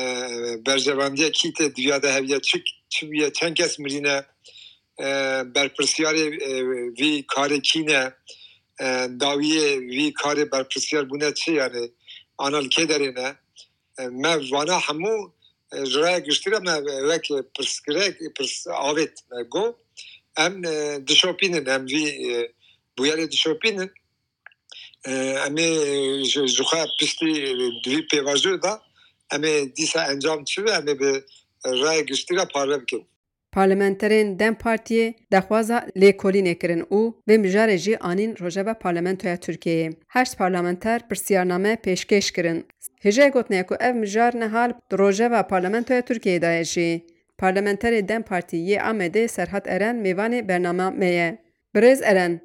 berjevendiya kî tê diviya de heviye, çi, çi bûye, çend kes mirîne, e, berpirsiyarê, e, vî karê kî ne, e, dawiyê vî karê berpirsiyar bûne çi, yani ana li kê derê ne? E, me vana hemû, e, ji raya giştî re me wek pirsgirek, pirs avêt me got, em, e, dişopînin, em vî, e, bûyerê dişopînin. E, em ê ji, ji xwe piştî di vî pêvajoyê de em ê dîsa encam çi be, em ê bi raya giştî re parve bikin. Parlamenterên dem Partiyê daxwaza lêkolînê kirin û vê mijarê jî anîn rojeva Parlamentoya Tirkiyeyê. Heşt parlamenter pirsiyarname pêşkêş kirin. Hêjayê gotinê ye ku ev mijar niha li rojeva Parlamentoya Tirkiyeyê de ye jî. Parlamenterê dem Partî yê Amedê Serhat Eren mêvanê bernama me ye. Birêz Eren,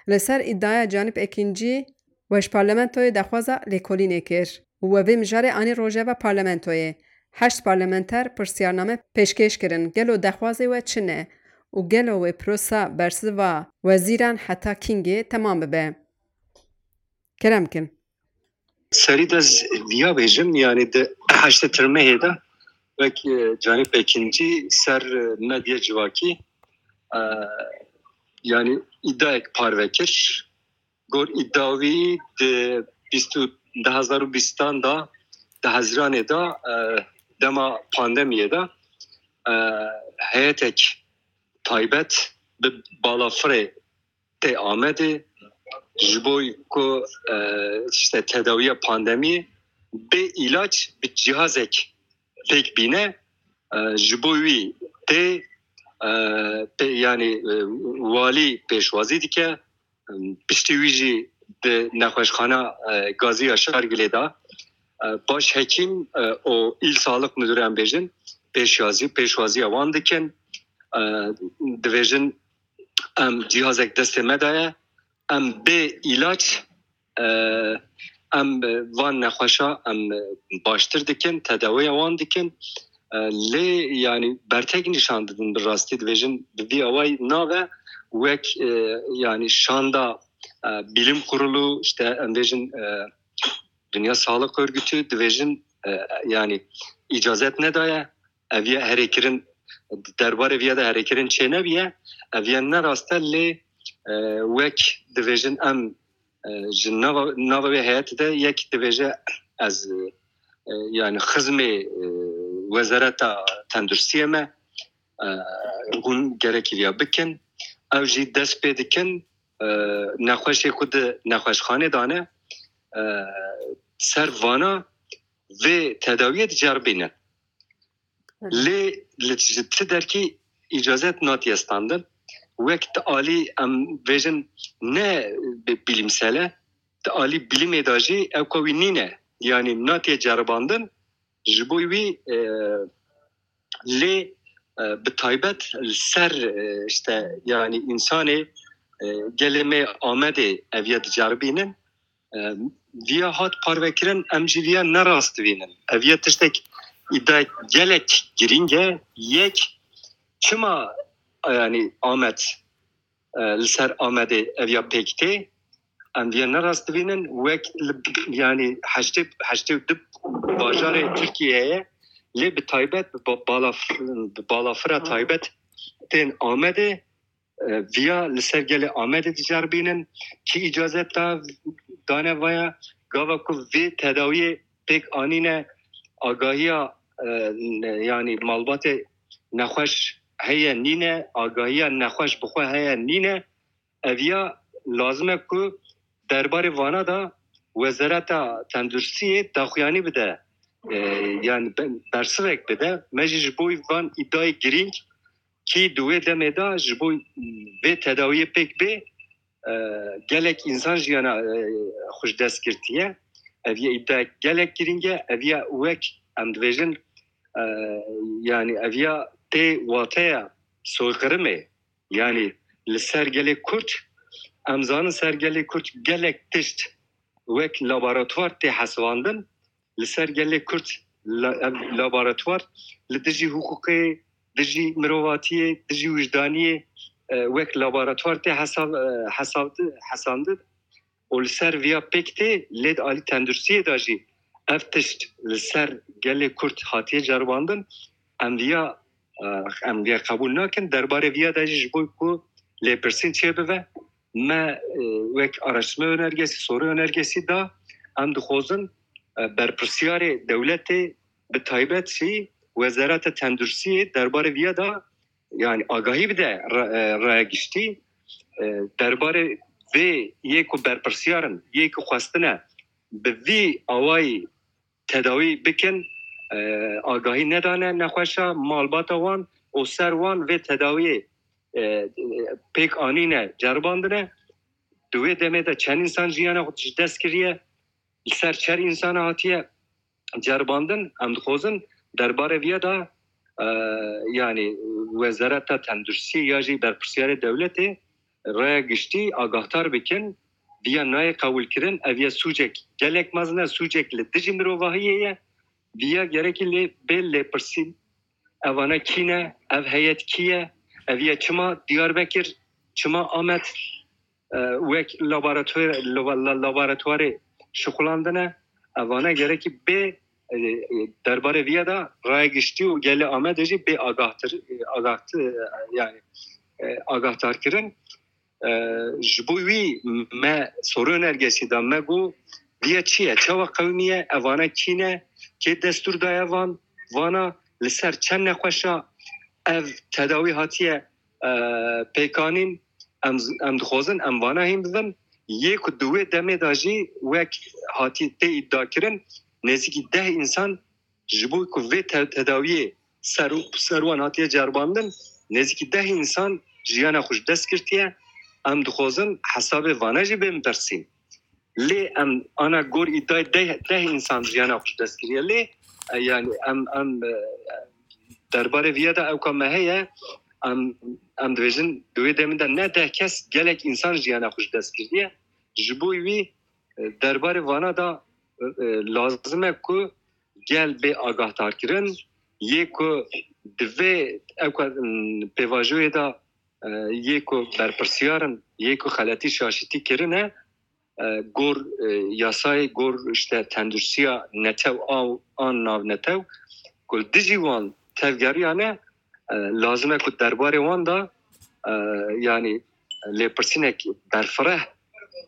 li ser îdiaya Canîb Ekîncî we ji parlamentoyê daxwaza lêkolînê kir û we vê mijarê anî rojeva parlamentoyê. Heşt parlamenter pirsiyarname pêşkêş kirin, gelo daxwazê we çi ne û gelo wê prosa bersiva wezîran heta kîngê temam bibe? Kerem kin. Serî de ez viya bêjim, yanî di heştê tirmehê de wek, e, Canîb Ekîncî ser, e, medya civakî, e, yanî îdiayek parve kir. Gor îdia wî di bîst û, di hezar û bîstan de, di Hezîranê de, e, dema pandemiyê de, e, heyetek taybet bi balafirê tê Amedê ji bo ku, e, işte tedawiya pandemiyê bê îlaç bi cihazek pêk bîne, e, ji bo wî tê, e, pê, yanî, e, walî pêşwazî dike, piştî wî jî di nexweşxana, e, gazî ya Şargilê de, e, baş hekîm, e, û îl sağlık müdürü em bêjin, pêşwazî, pêşwaziya wan dikin. E, dibêjin, em cihazek destê me de ye, em bê îlaç, e, em van nexweşa em baştir dikin, tedawiya wan dikin. E, lê, yanî, bertek nîşan didin, bi rastî dibêjin, bi vî awayî nabe wek, e, yanî, şanda, e, Bilim Kurulu, işte, em bêjin, e, Dünya Sağlık Örgütü, dibêjin, e, yanî, îcazet nedaye. Ev ya herêkirin, derbarê viya de herêkirin çênebiye. Ev ya ne rast e, lê, e, wek dibêjin em, e, ji nava, nava wê heyetê de yek dibêje ez, e, yanî xizmê, e, Wezareta Tenduristiyê me, e, hûn gerekî viya bikin. Ew jî dest pê dikin, e, nexweşê ku di nexweşxanê dane, e, ser vana vê tedawiyê diceribînin. Lê li ji ti derkî îcazet natiye standin. Wek ti alî em bêjin ne bi-, bilimsel e, ti alî bilimê de jî ew ka wî nîne. Yanî natiye ceribandin, ji bo wî, e, lê, e, bi taybet li ser, e, işte, yanî însanê, e, gelê me Amedê ev ya diceribînin. E, viya hat parvekirin, em jî viya ne rast dibînin. Ev ya tiştek îdiayek gelek girîng e. Yek, çima, yanî Amed, e, li ser Amedê ev ya pêk tê? Em viya ne rast dibînin. Wek li, yanî heştê, heştê û du bajarê Tirkiyeyê ye. Lê bi taybet bi ba-, balaf-, bi balafira taybet tên Amedê, e, viya li ser gelê Amedê diceribînin, kî îcazet da, dane vaya, gava ku vê tedawiyê pêk anîne, agahiya, e, ne-, yanî malbatê nexweş heye nîne, agahiya nexweş bi xwe heye nîne, ev ya lazim e ku derbarê vana da Wezareta Tenduristiyê daxuyanî bide. E, yanî be-, bersivek bide. Me jî ji bo van îdayê girîng kî di wê demê de ji bo vê tedawiyê pêk bê, e, gelek însan jiyana, e, xwe ji dest girtiye. Ev ya îdayek gelek girîng e. Ev ya wek em dibêjin, e, yanî ev ya tê wateya soykirimê. Yanî li ser gelê Kurd, em zanin ser gelê Kurd gelek tişt wek laboratuvar tê hesibandin. Li ser gelê Kurd la-, ev laboratuvar li dijî hiqûqê, dijî mirovatiyê, dijî wijdaniyê, e, wek laboratuvar tê hesab-, e, hesabdi-, hesandin û li ser viya pêk tê, lê di alî tenduristiyê de jî ev tişt li ser gelê Kurd hatiye ceribandin. Em viya Em vê qebûl nakin. Derbarê viya de jî ji bo ku lêpirsîn çêbibe, me wek araştırma önergesi, soru önergesi da, em dixwazin berpirsiyarê dewletê, bi taybet jî Wezareta Tenduristiyê derbarê viya da, yani agahî bide raya giştî, derbarê vê yê ku berpirsiyarin, yê ku xwestine bi vî awayî tedawî bikin, agahî nedane nexweşa malbata wan û ser wan vê tedawiyê pêk anîne, ceribandine. Di wê demê de çend însan jiyana xwe ji dest kiriye, li ser çer însana hatiye ceribandin. Em dixwazin derbarê viya de, e, yani Wezareta Tenduristiyê ya jî berpirsiyarê dewletê raya giştî agahdar bikin. Viya nayê qebûlkirin, ev ya sûcek gelek mezin e, sûcek li dijî mirovahiyê ye. Viya gerekî lê bê lêpirsîn. Evane kî ne? Ev heyet kî ye? Ev ye çima Diyarbekir, çima Amed, e, wek laboratuwar-, laba-, la-, laboratuwarê şixulandine? Evane gerekî bê, e, e, derbarê viya de raya giştî û gelê Amedê jî bê agahtir-, e, agahti-, e, yani, e, agahdarkirin. E, ji bo wî me soru önergesi da, me got, viya çi ye? Çawa qewimiye? Evana kî ne? Kê destûr daye van? Vana li ser çend nexweşa ev tedawî hatiye, e, pêkanîn? Em, em dixwazin em vana hîn bibin. Yê ku di wê demê de jî wek hatî tê îdiakirin, nêzîkî deh însan ji bo ku vê te-, tedawiyê ser, ser wan hatiye ceribandin, nêzîkî deh însan jiyana xwe ji dest girtiye. Em dixwazin hesabê vane jî bên pirsîn. Lê em ana gor îdayê deh, deh însan jiyana xwe ji dest kiriye. Lê, e, yani em, em, e, derbarê viya de ewka me heye, em, em dibêjin di wê demê de ne deh kes, gelek însan jiyana xwe ji dest kiriye. Ji bo wî, e, derbarê vana de, e, e, lazim e ku gel bê agahdarkirin, yê ku divê ew ka, m, pêvajoyê de, e, yê ku berpirsiyarin, yê ku xeletî şaşitî kirine, e, gor, e, yasayê gor işte tendursiya netew a-, an navnetew, ku li dijî wan tevgeriyane, e, lazim e ku derbarê wan de, e, yani lêpirsînek berfireh,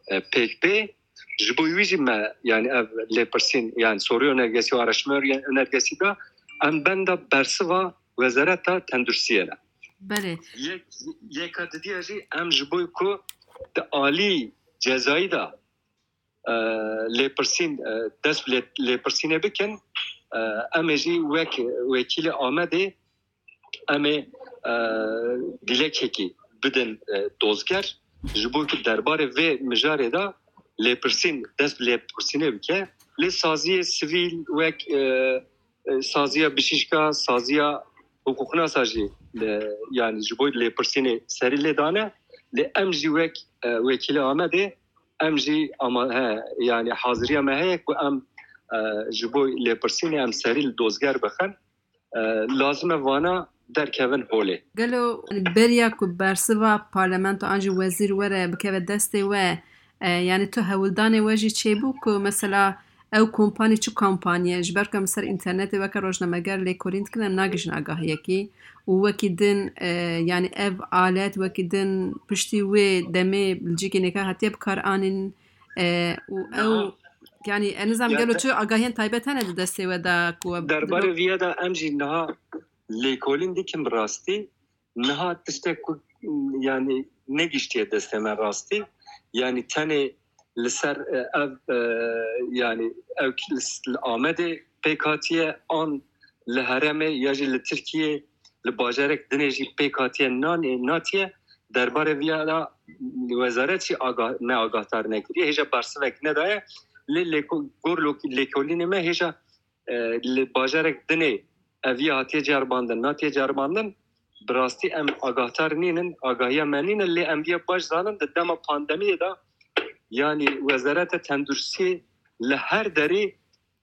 e, pêk bê. Ji bo wî jî me, yani ev lêpirsîn, yani soru önergesi û araştırma önergesi de em benda bersiva Wezareta Tenduristiyê ne. Belê. Yek, yeka didiya jî em ji bo ku di alî cezayî de, e, lêpirsîn, e, dest bi lê-, lêpirsînê bikin, e, em ê jî wek wekîlê Amedê em ê, e, dîlekekî bidin, e, dozger, ji bo ku derbarê vê mijarê de lêpirsîn dest bi lêpirsînê bike. Lê saziyê sivîl wek, e, e, saziya bijîşka, saziya hiqûqnasa jî, e, yani ji bo lêpirsînê serî lê dane. Lê em jî wek, e, wekîlê Amedê em jî ama-, he, yani haziriya me heye ku em, e, ji bo lêpirsînê em serî li dozger bixin. E, lazim e vana derkevin holê. Gelo beriya ku bersiva parlamento an jî wezîr were bikeve destê we, e, yani tu hewldanê we jî çêbû ku mesela ew kompanî çi kompanî ye? Ji ber ku em ser înternetê weke rojnameger lêkolîn dikin, em nagihîjin agahiyekî û wekî din, e, yani ev alet wekî din piştî wê demê li cihekî nêka hatiye bi kar anîn, e, û ew, niha, yani ez nizam ya gelo de-, çi agahiyên taybet hene di destê we de ku we derbarê viya de em jî niha lêkolîn dikin bi rastî. Niha tiştek ku, yani, negiştiye destê me rastî. Yani tenê li ser, e, ev, e, yani ew ki li s-, li Amedê pêk hatiye an li herêmê ya jî li Tirkiyê li bajarek dinê jî pêk hatiye nanê, natiye. Derbarê viya de wezaret jî aga-, me agahdar nekiriye. Hêja bersivek nedaye. Lê lêko-, gor lok-, lêkolînê me hêja e, li bajarek dinê ev ya hatiye ceribandin, natiye ceribandin, bi rastî em agahdar nînin, agahiya me nîne, lê em viya baş zanin, di dema pandemiyê de, yanî Wezareta Tenduristiyê li her derî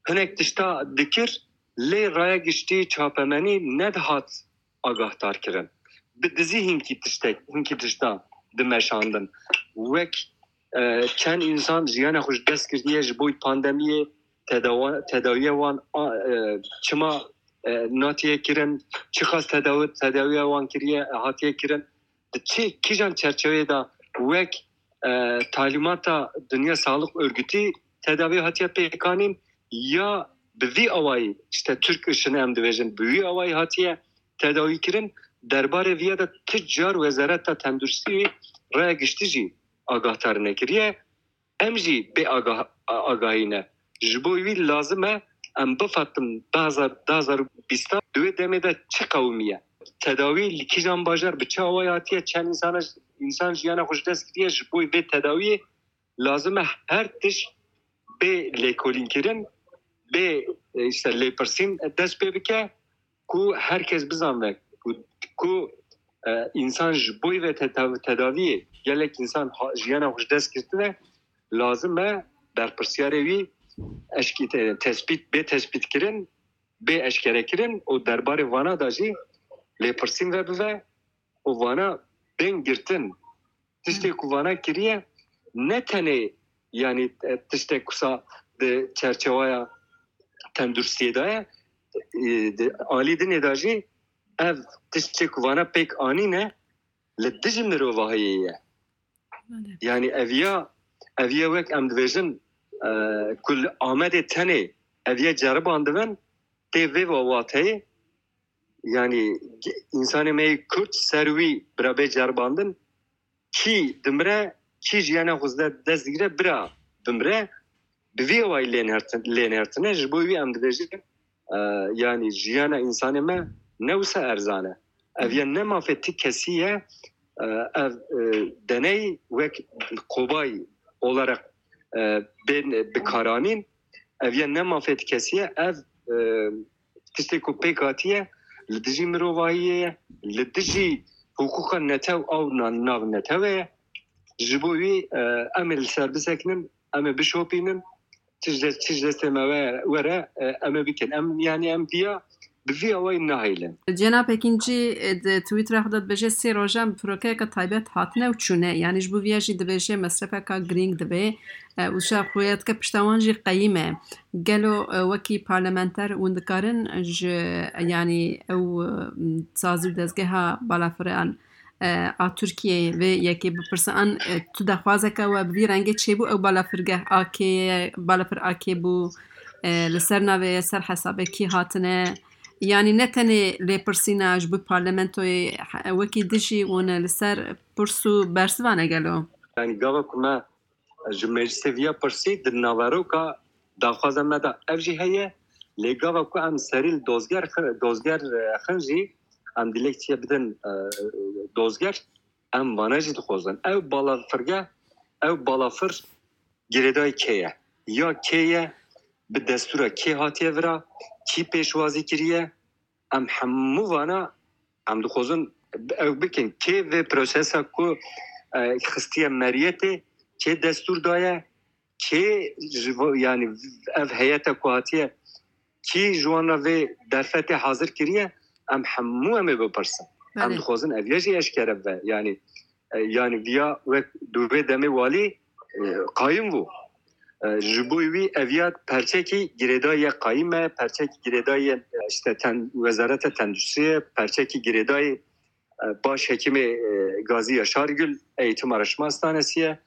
hinek tişta dikir, lê raya giştî çapemenî nedihat agahdar kirin. Bi dizî hinkî tiştek, hinkî tişta dimeşandin. Wek, e, çend însan jiyana xwe ji dest kiriye ji bo pandemiyê, tedawa-, tedawiya wan, a, e, çima e, natiye kirin, çiqas tedawi, tedawiya wan kiriye, hatiye kirin, di çi kîjan çerçeveyê de wek, e, talîmata Dünya Sağlık Örgütü tedavi hatiye pêkanîn ya bi vî awayî, işte Türk Işını em dibêjin, bi vî awayî hatiye tedawî kirin, derbarê viya de ti car Wezareta Tenduristî raya giştî jî agahdarine kiriye. Em jî bê agah-, agahî ne. Ji bo wî lazim e em bifetin du hazar, du hazar û bîst di wê demê de çi qewimiye? Tedawî li kîjan bajar bi çi awayî hatiye? Çend insana, insan jiyana xwe ji dest kiriye? Ji bo vê tedawiyê lazim e her tişt bê lêkolînkirin, bê, e, işte lêpirsîn dest pê bike ku her kes bizanbe ku, ku, e, însan ji bo vê te-, te-, tedaviyê gelek însan ha-, jiyana xwe ji dest girtine, lazim e berpirsiyarê wî eşkî te-, tespît, bê tespîtkirin, bê eşkerekirin û derbarê vana de jî lêpirsîn vebive û vana bên girtin. Tiştê ku vana kiriye ne tenê, yanî, e, tiştek kusa di çerçeweya tenduristiyê de ye, e, di alî dinê de jî ev tiştê ku vana pêk anîne li dijî mirovahiyê ye. Belê. Yanî ev ya, ev ya wek em dibêjin, e, ku li Amedê tenê ev ya ceribandibin, tê vê wateyê, yanî ge-, însanê me yê Kurd ser wî bira bê ceribandin, kî dimire, kî jiyana xwe zde dest digire, bira bimire, bi vî awayî lê nêrtin-, lê nêrtine, ji bo wî em dibêjin, e, yanî jiyana însanê me ne wisa erzan e. Ev ya ne mafê ti kesî ye, e, ev, e, deney wek kobay olarak, e, bên bikaranîn, ev ya ne mafê ti kesî ye, ev, e, tiştê ku pêk hatiye, li dijî mirovahiyê ye, li dijî hiqûqa netew a û na-, navnetewê ye. Ji bo wî, e, em ê li ser bisekinin, em ê bişopînin, tij de-, tij destê me we-, were, e, em ê bikin. Em, yanî em viya, bi vî awayî nahêlin. Cenab Ekincî, e, di Twittera xwe de dibêje, sê rojan bi firokeyeke taybet hatine û çûne. Yanî ji bo viya jî dibêje mesrefeka girîng dibe. E, û şa xuya dike pişta wan jî qeyîm e. Gelo, e, wekî parlamenter hûn dikarin ji, yanî ew, e, sazî û dezgeha balafiran, e, a Tirkiyeyê vê yekê bipirsin? An, e, tu daxwazeke we bi vî rengê çêbû ew balafirgeh A K ye, balafir A K bû, e, li ser navê ye, ser hesabê kî hatine? Yanî ne tenê lêpirsîna ji bo parlamentoyê, he-, wekî dijî hûn li ser pirs û bersivan e gelo? Yanî gava ku me ji meclisê viya pirsî di naveroka daxwaza me de ev jî heye. Lê gava ku em serî li dozger xi-, dozger, e, xin jî em dilekçiye bidin, e, dozger, em vana jî dixwazin. Ew balafirge, ew balafir girêdayî kê ye? Ya kê ye? Bi destûra kê hatiye vira? Kî pêşwazî kiriye? Em hemû vana em dixwazin ew bikin. Kê vê prosesa ku, e, xistiye meriyetê, kê destûr daye, kê ji vo-, yanî ev heyete ku hatiye, kî ji wan re vê derfetê hazir kiriye, em hemû em ê bipirsin. Em Belê. dixwazin ev ya jî eşkere bibe. Yanî, e, yanî viya wek di vê demê walî, e, qayim bû. E, ji bo wî ev ya perçekî girêdayî ye qayîm e, perçekî girêdayî ye, e, işte ten-, Wezareta Tenduristiyê, perçekî girêdayî, e, başhekîmê, e, Gazî Yaşar Gül, Eğitim Araştırma Hastanesi ye,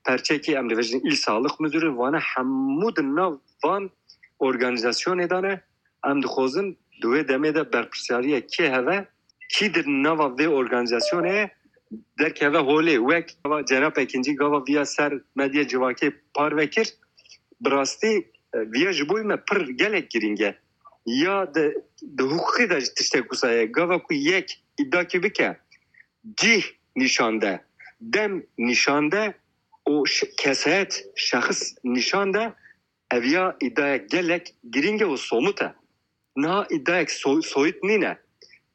perçekî em dibêjin İl Sağlık Müdürü, vana hemû di nav van organîzasyonê de ne. Em dixwazin di wê demê de berpirsyariya kê heve, kî di nava vê organîzasyonê ye, derkeve holê. Wek gava Cenab Ekincî gava viya ser medya civakê parve kir, bi rastî, e, viya ji bo me pir gelek girîng e. Ya di, di hiqûqê de jî tiştek wisa ye. Gava ku yek îdakî bike, cih nîşan de, dem nîşan de û ş-, kesayet, şexs nîşan de, ev ya îdayek gelek girîng e û somut e. Niha îdayek so-, soyut nîne.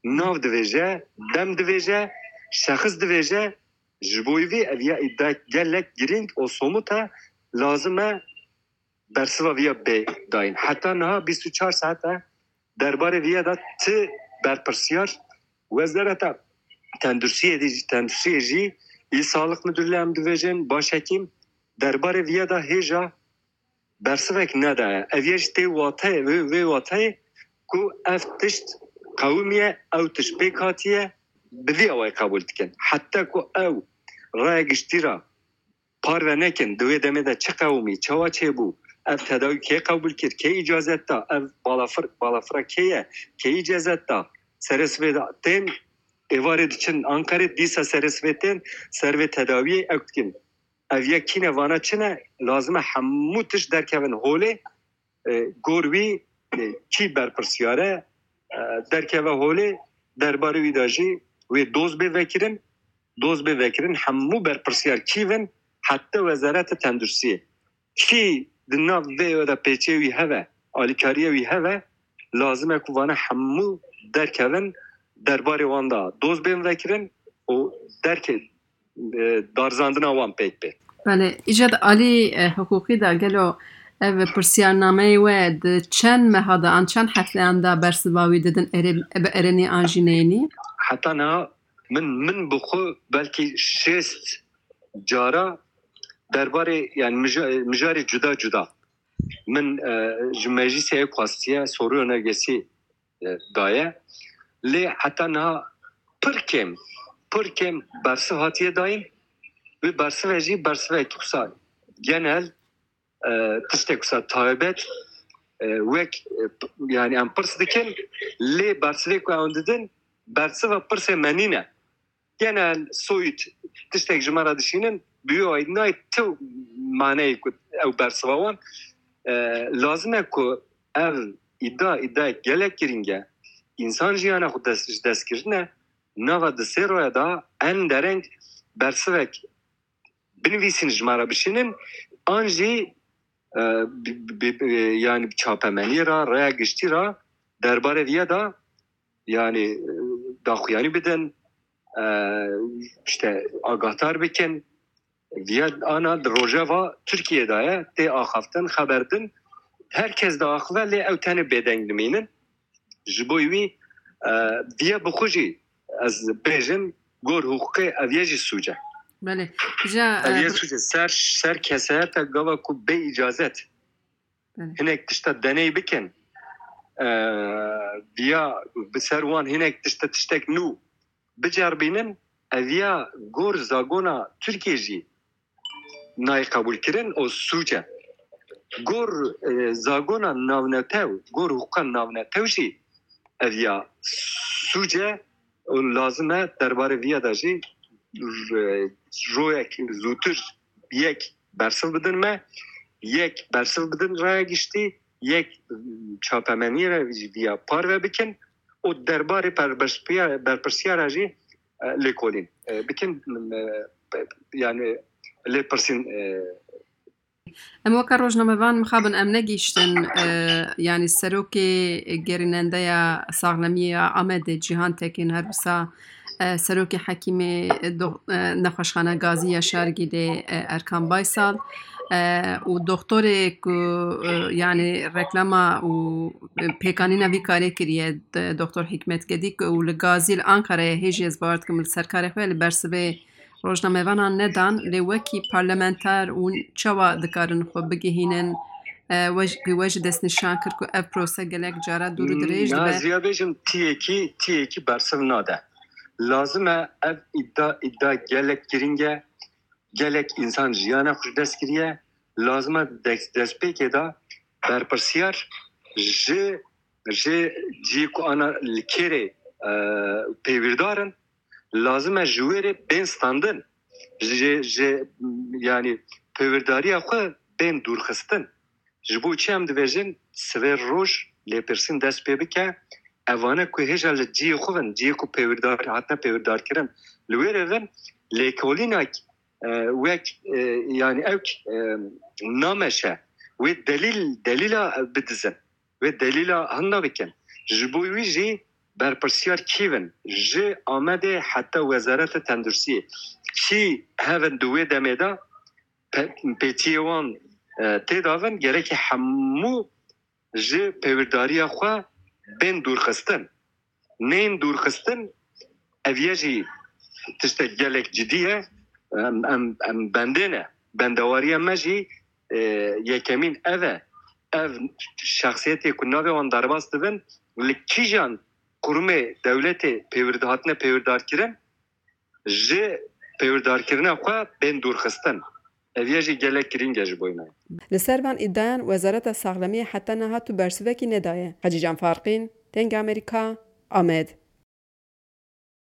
Nav divêje, dem divêje, şexs divêje, ji bo vî ev ya îdayek gelek girîng û somut e, lazim e bersiva viya bê dayîn. Heta niha bîst û çar saet e derbarê viya de ti berpirsiyar, Wezareta Tenduristiyê dî-, Tenduristiyê jî, Îl Sağlık Müdürlüğü em dibêjin, başhekîm, derbarê viya de hêja bersivek nedaye. Ev yê jî tê wateyê, vê, vê wateyê ku ev tişt qewimiye, ew tişt pêk hatiye, bi vî awayî qebûl dikin. Heta ku ew raya giştî re parve nekin, di wê demê de çi qewimî, çawa çêbû, ev tedawî kê qebûl kir, kê îcazet da, ev balafir, balafira kê ye, kê îcazet da, serê sivê de tên, êvarê diçin Anqerê, dîsa serê sivê tên, ser vê tedawiyê ew dikin. Ev yek kî ne, vana çi ne, lazim e hemû tişt derkevin holê, e, gor wî, e, kî berpirsiyar e, e, derkeve holê, derbarê wî de jî wê doz bê vekirin, doz bê vekirin, hemû berpirsiyar kî bin, heta Wezareta Tenduristiyê. Kî di nav vê de pêçê wî heve, alîkariya wî heve, lazim e ku vana hemû derkevin, derbarê wan de doz bên vekirin û derke, e, darizandina wan pêk bê. Belê, îca di alî, e, hiqûqî de gelo ev pirsiyarnameyê we di çend meha de an çend hefteyan de bersiva wî didin, erê, bi erênî an jî neyênî? Heta niha min, min bi xwe belkî şêst cara derbarê, yani mija-, mijarê cuda cuda min, e, ji meclîsê ew xwestiye, soruya nergesî, e, daye. Lê heta niha pir kêm, pir kêm bersiv hatiye dayîn. Wê bersive jî bersivek wisa genel, e, tiştek wisa taybet, e, wek, e, p-, yani em pirs dikin, lê bersivê ku ew didin, bersiva pirsê me nîne. Genel, soyut, tiştek ji me re dişînin, bi wî awayî nayê tu maneyê ku ew bersiva wan, e, lazim e ku ev îda, îdayek gelek girîng e. Însan jiyana xwe dest, ji dest kirine, nava di sê roya de en dereng bersivek binivîsîn, ji me re bişînin, an jî, e, bi, bi, bi, yani çapemeniyê re, raya giştî re derbarê viya de, yani, e, daxuyanî bidin, e, işte agahdar bikin. Viya ana di rojeva Tirkiyê de ye, tê axaftin, xeber din. Her kes diaxive, lê ew tenê bêdeng dimînin. Ji bo wî, e, viya bi xwe jî ez bêjim, gor hiqûqê ev ye jî sûc e. Belê. Ja, Ev e, ye bir sûc e. Ser, ser kesayeta gava ku bê îcazet Belê. hinek tişta deney bikin, e, viya bi ser wan hinek tişta, tiştek nû bicerbînin, ev ya gor zagona Tirkiyê jî nayê qebûlkirin û sûc e. Gor, e, zagona navnetew, gor hiqûqa navnetew jî ev ya sûc e û lazim e derbarê viya de jî, e, royek zûtir yek bersiv bidin me, yek bersiv bidin raya giştî, yek çapemeniyê re jî viya parve bikin û derbarê perberpiya-, berpirsiyara jî, e, lêkolîn, e, bikin, e, yani lêpirsîn, e. Em weke rojnamevan mixabin em negihîştin, e, yani serokê gerînendeya saxlemiyê ya Amedê Cîhan Tekîn, her wisa, e, serokê hekîmê, e, dox-, e, nexweşxane Gazî Yaşar Gîlê, e, Erkan Baysal, e, û doktorê ku, e, yani reklama û, e, pêkanîna vî karê kiriye, d-, doktor Hikmet Gedîk û li Gazî li Ankarayê hêjî ez bawer dikim li ser karê xwe li bersivê rojnamevanan nedan, lê wekî parlamenter hûn çawa dikarin xwe bigihînin, e, we ji, we jî destnîşan kir ku ev prose gelek cara dûr û dirêj dibe? Naziya bêjim tiyekî, tiyekî bersiv nade. Lazim e ev îda, îda gelek girîng e. Gelek însan jiyana xwe ji dest kiriye. Lazim e des-, destpêkê de berpirsiyar ji, ji cihê ku ana li kêrê, e, pêwîrdar in, lazim e ji wê rê bên standin. Ji, ji, yani pêwîrdariya xwe bên dûrxistin. Ji bo çi em dibêjin, sivê roj lêpirsîn dest pê bike, evane ku hêja li cihê xwe bin, cihê ku pêwîrdar, hatine pêwîrdarkirin, li wê rê bin, lêkolînek, e, wek, e, yani ew, e, nameşe, wê delîl, delîla bidizin, wê delîla hinda bikin. Ji bo wî jî berpirsiyar kî bin? Ji Amedê heta Wezareta Tenduristiyê. Kî hevin di wê demê de pe-, pêçiyê wan, e, tê davin, gereke hemû ji pêwîrdariya xwe bên dûrxistin. Nên dûrxistin, ev ye jî tiştek gelek cidî ye. Em, em, em bendê ne. Bendewariya me jî, e, yekemîn ev e. Ev şexsiyetê ku navê wan derbas dibin, Li kîjan kurumê dewletê pêwirdi-, hatine pêwirdarkirin, ji pêwirdarkirina xwe bên dûrxistin. Ev ya jî gelek girîng e ji bo înan. Li ser van îdiayan Wezareta Saxlemiyê heta niha tu bersivekî nedaye. Hecîcan Farqîn, Dengê Amerîka, Amed.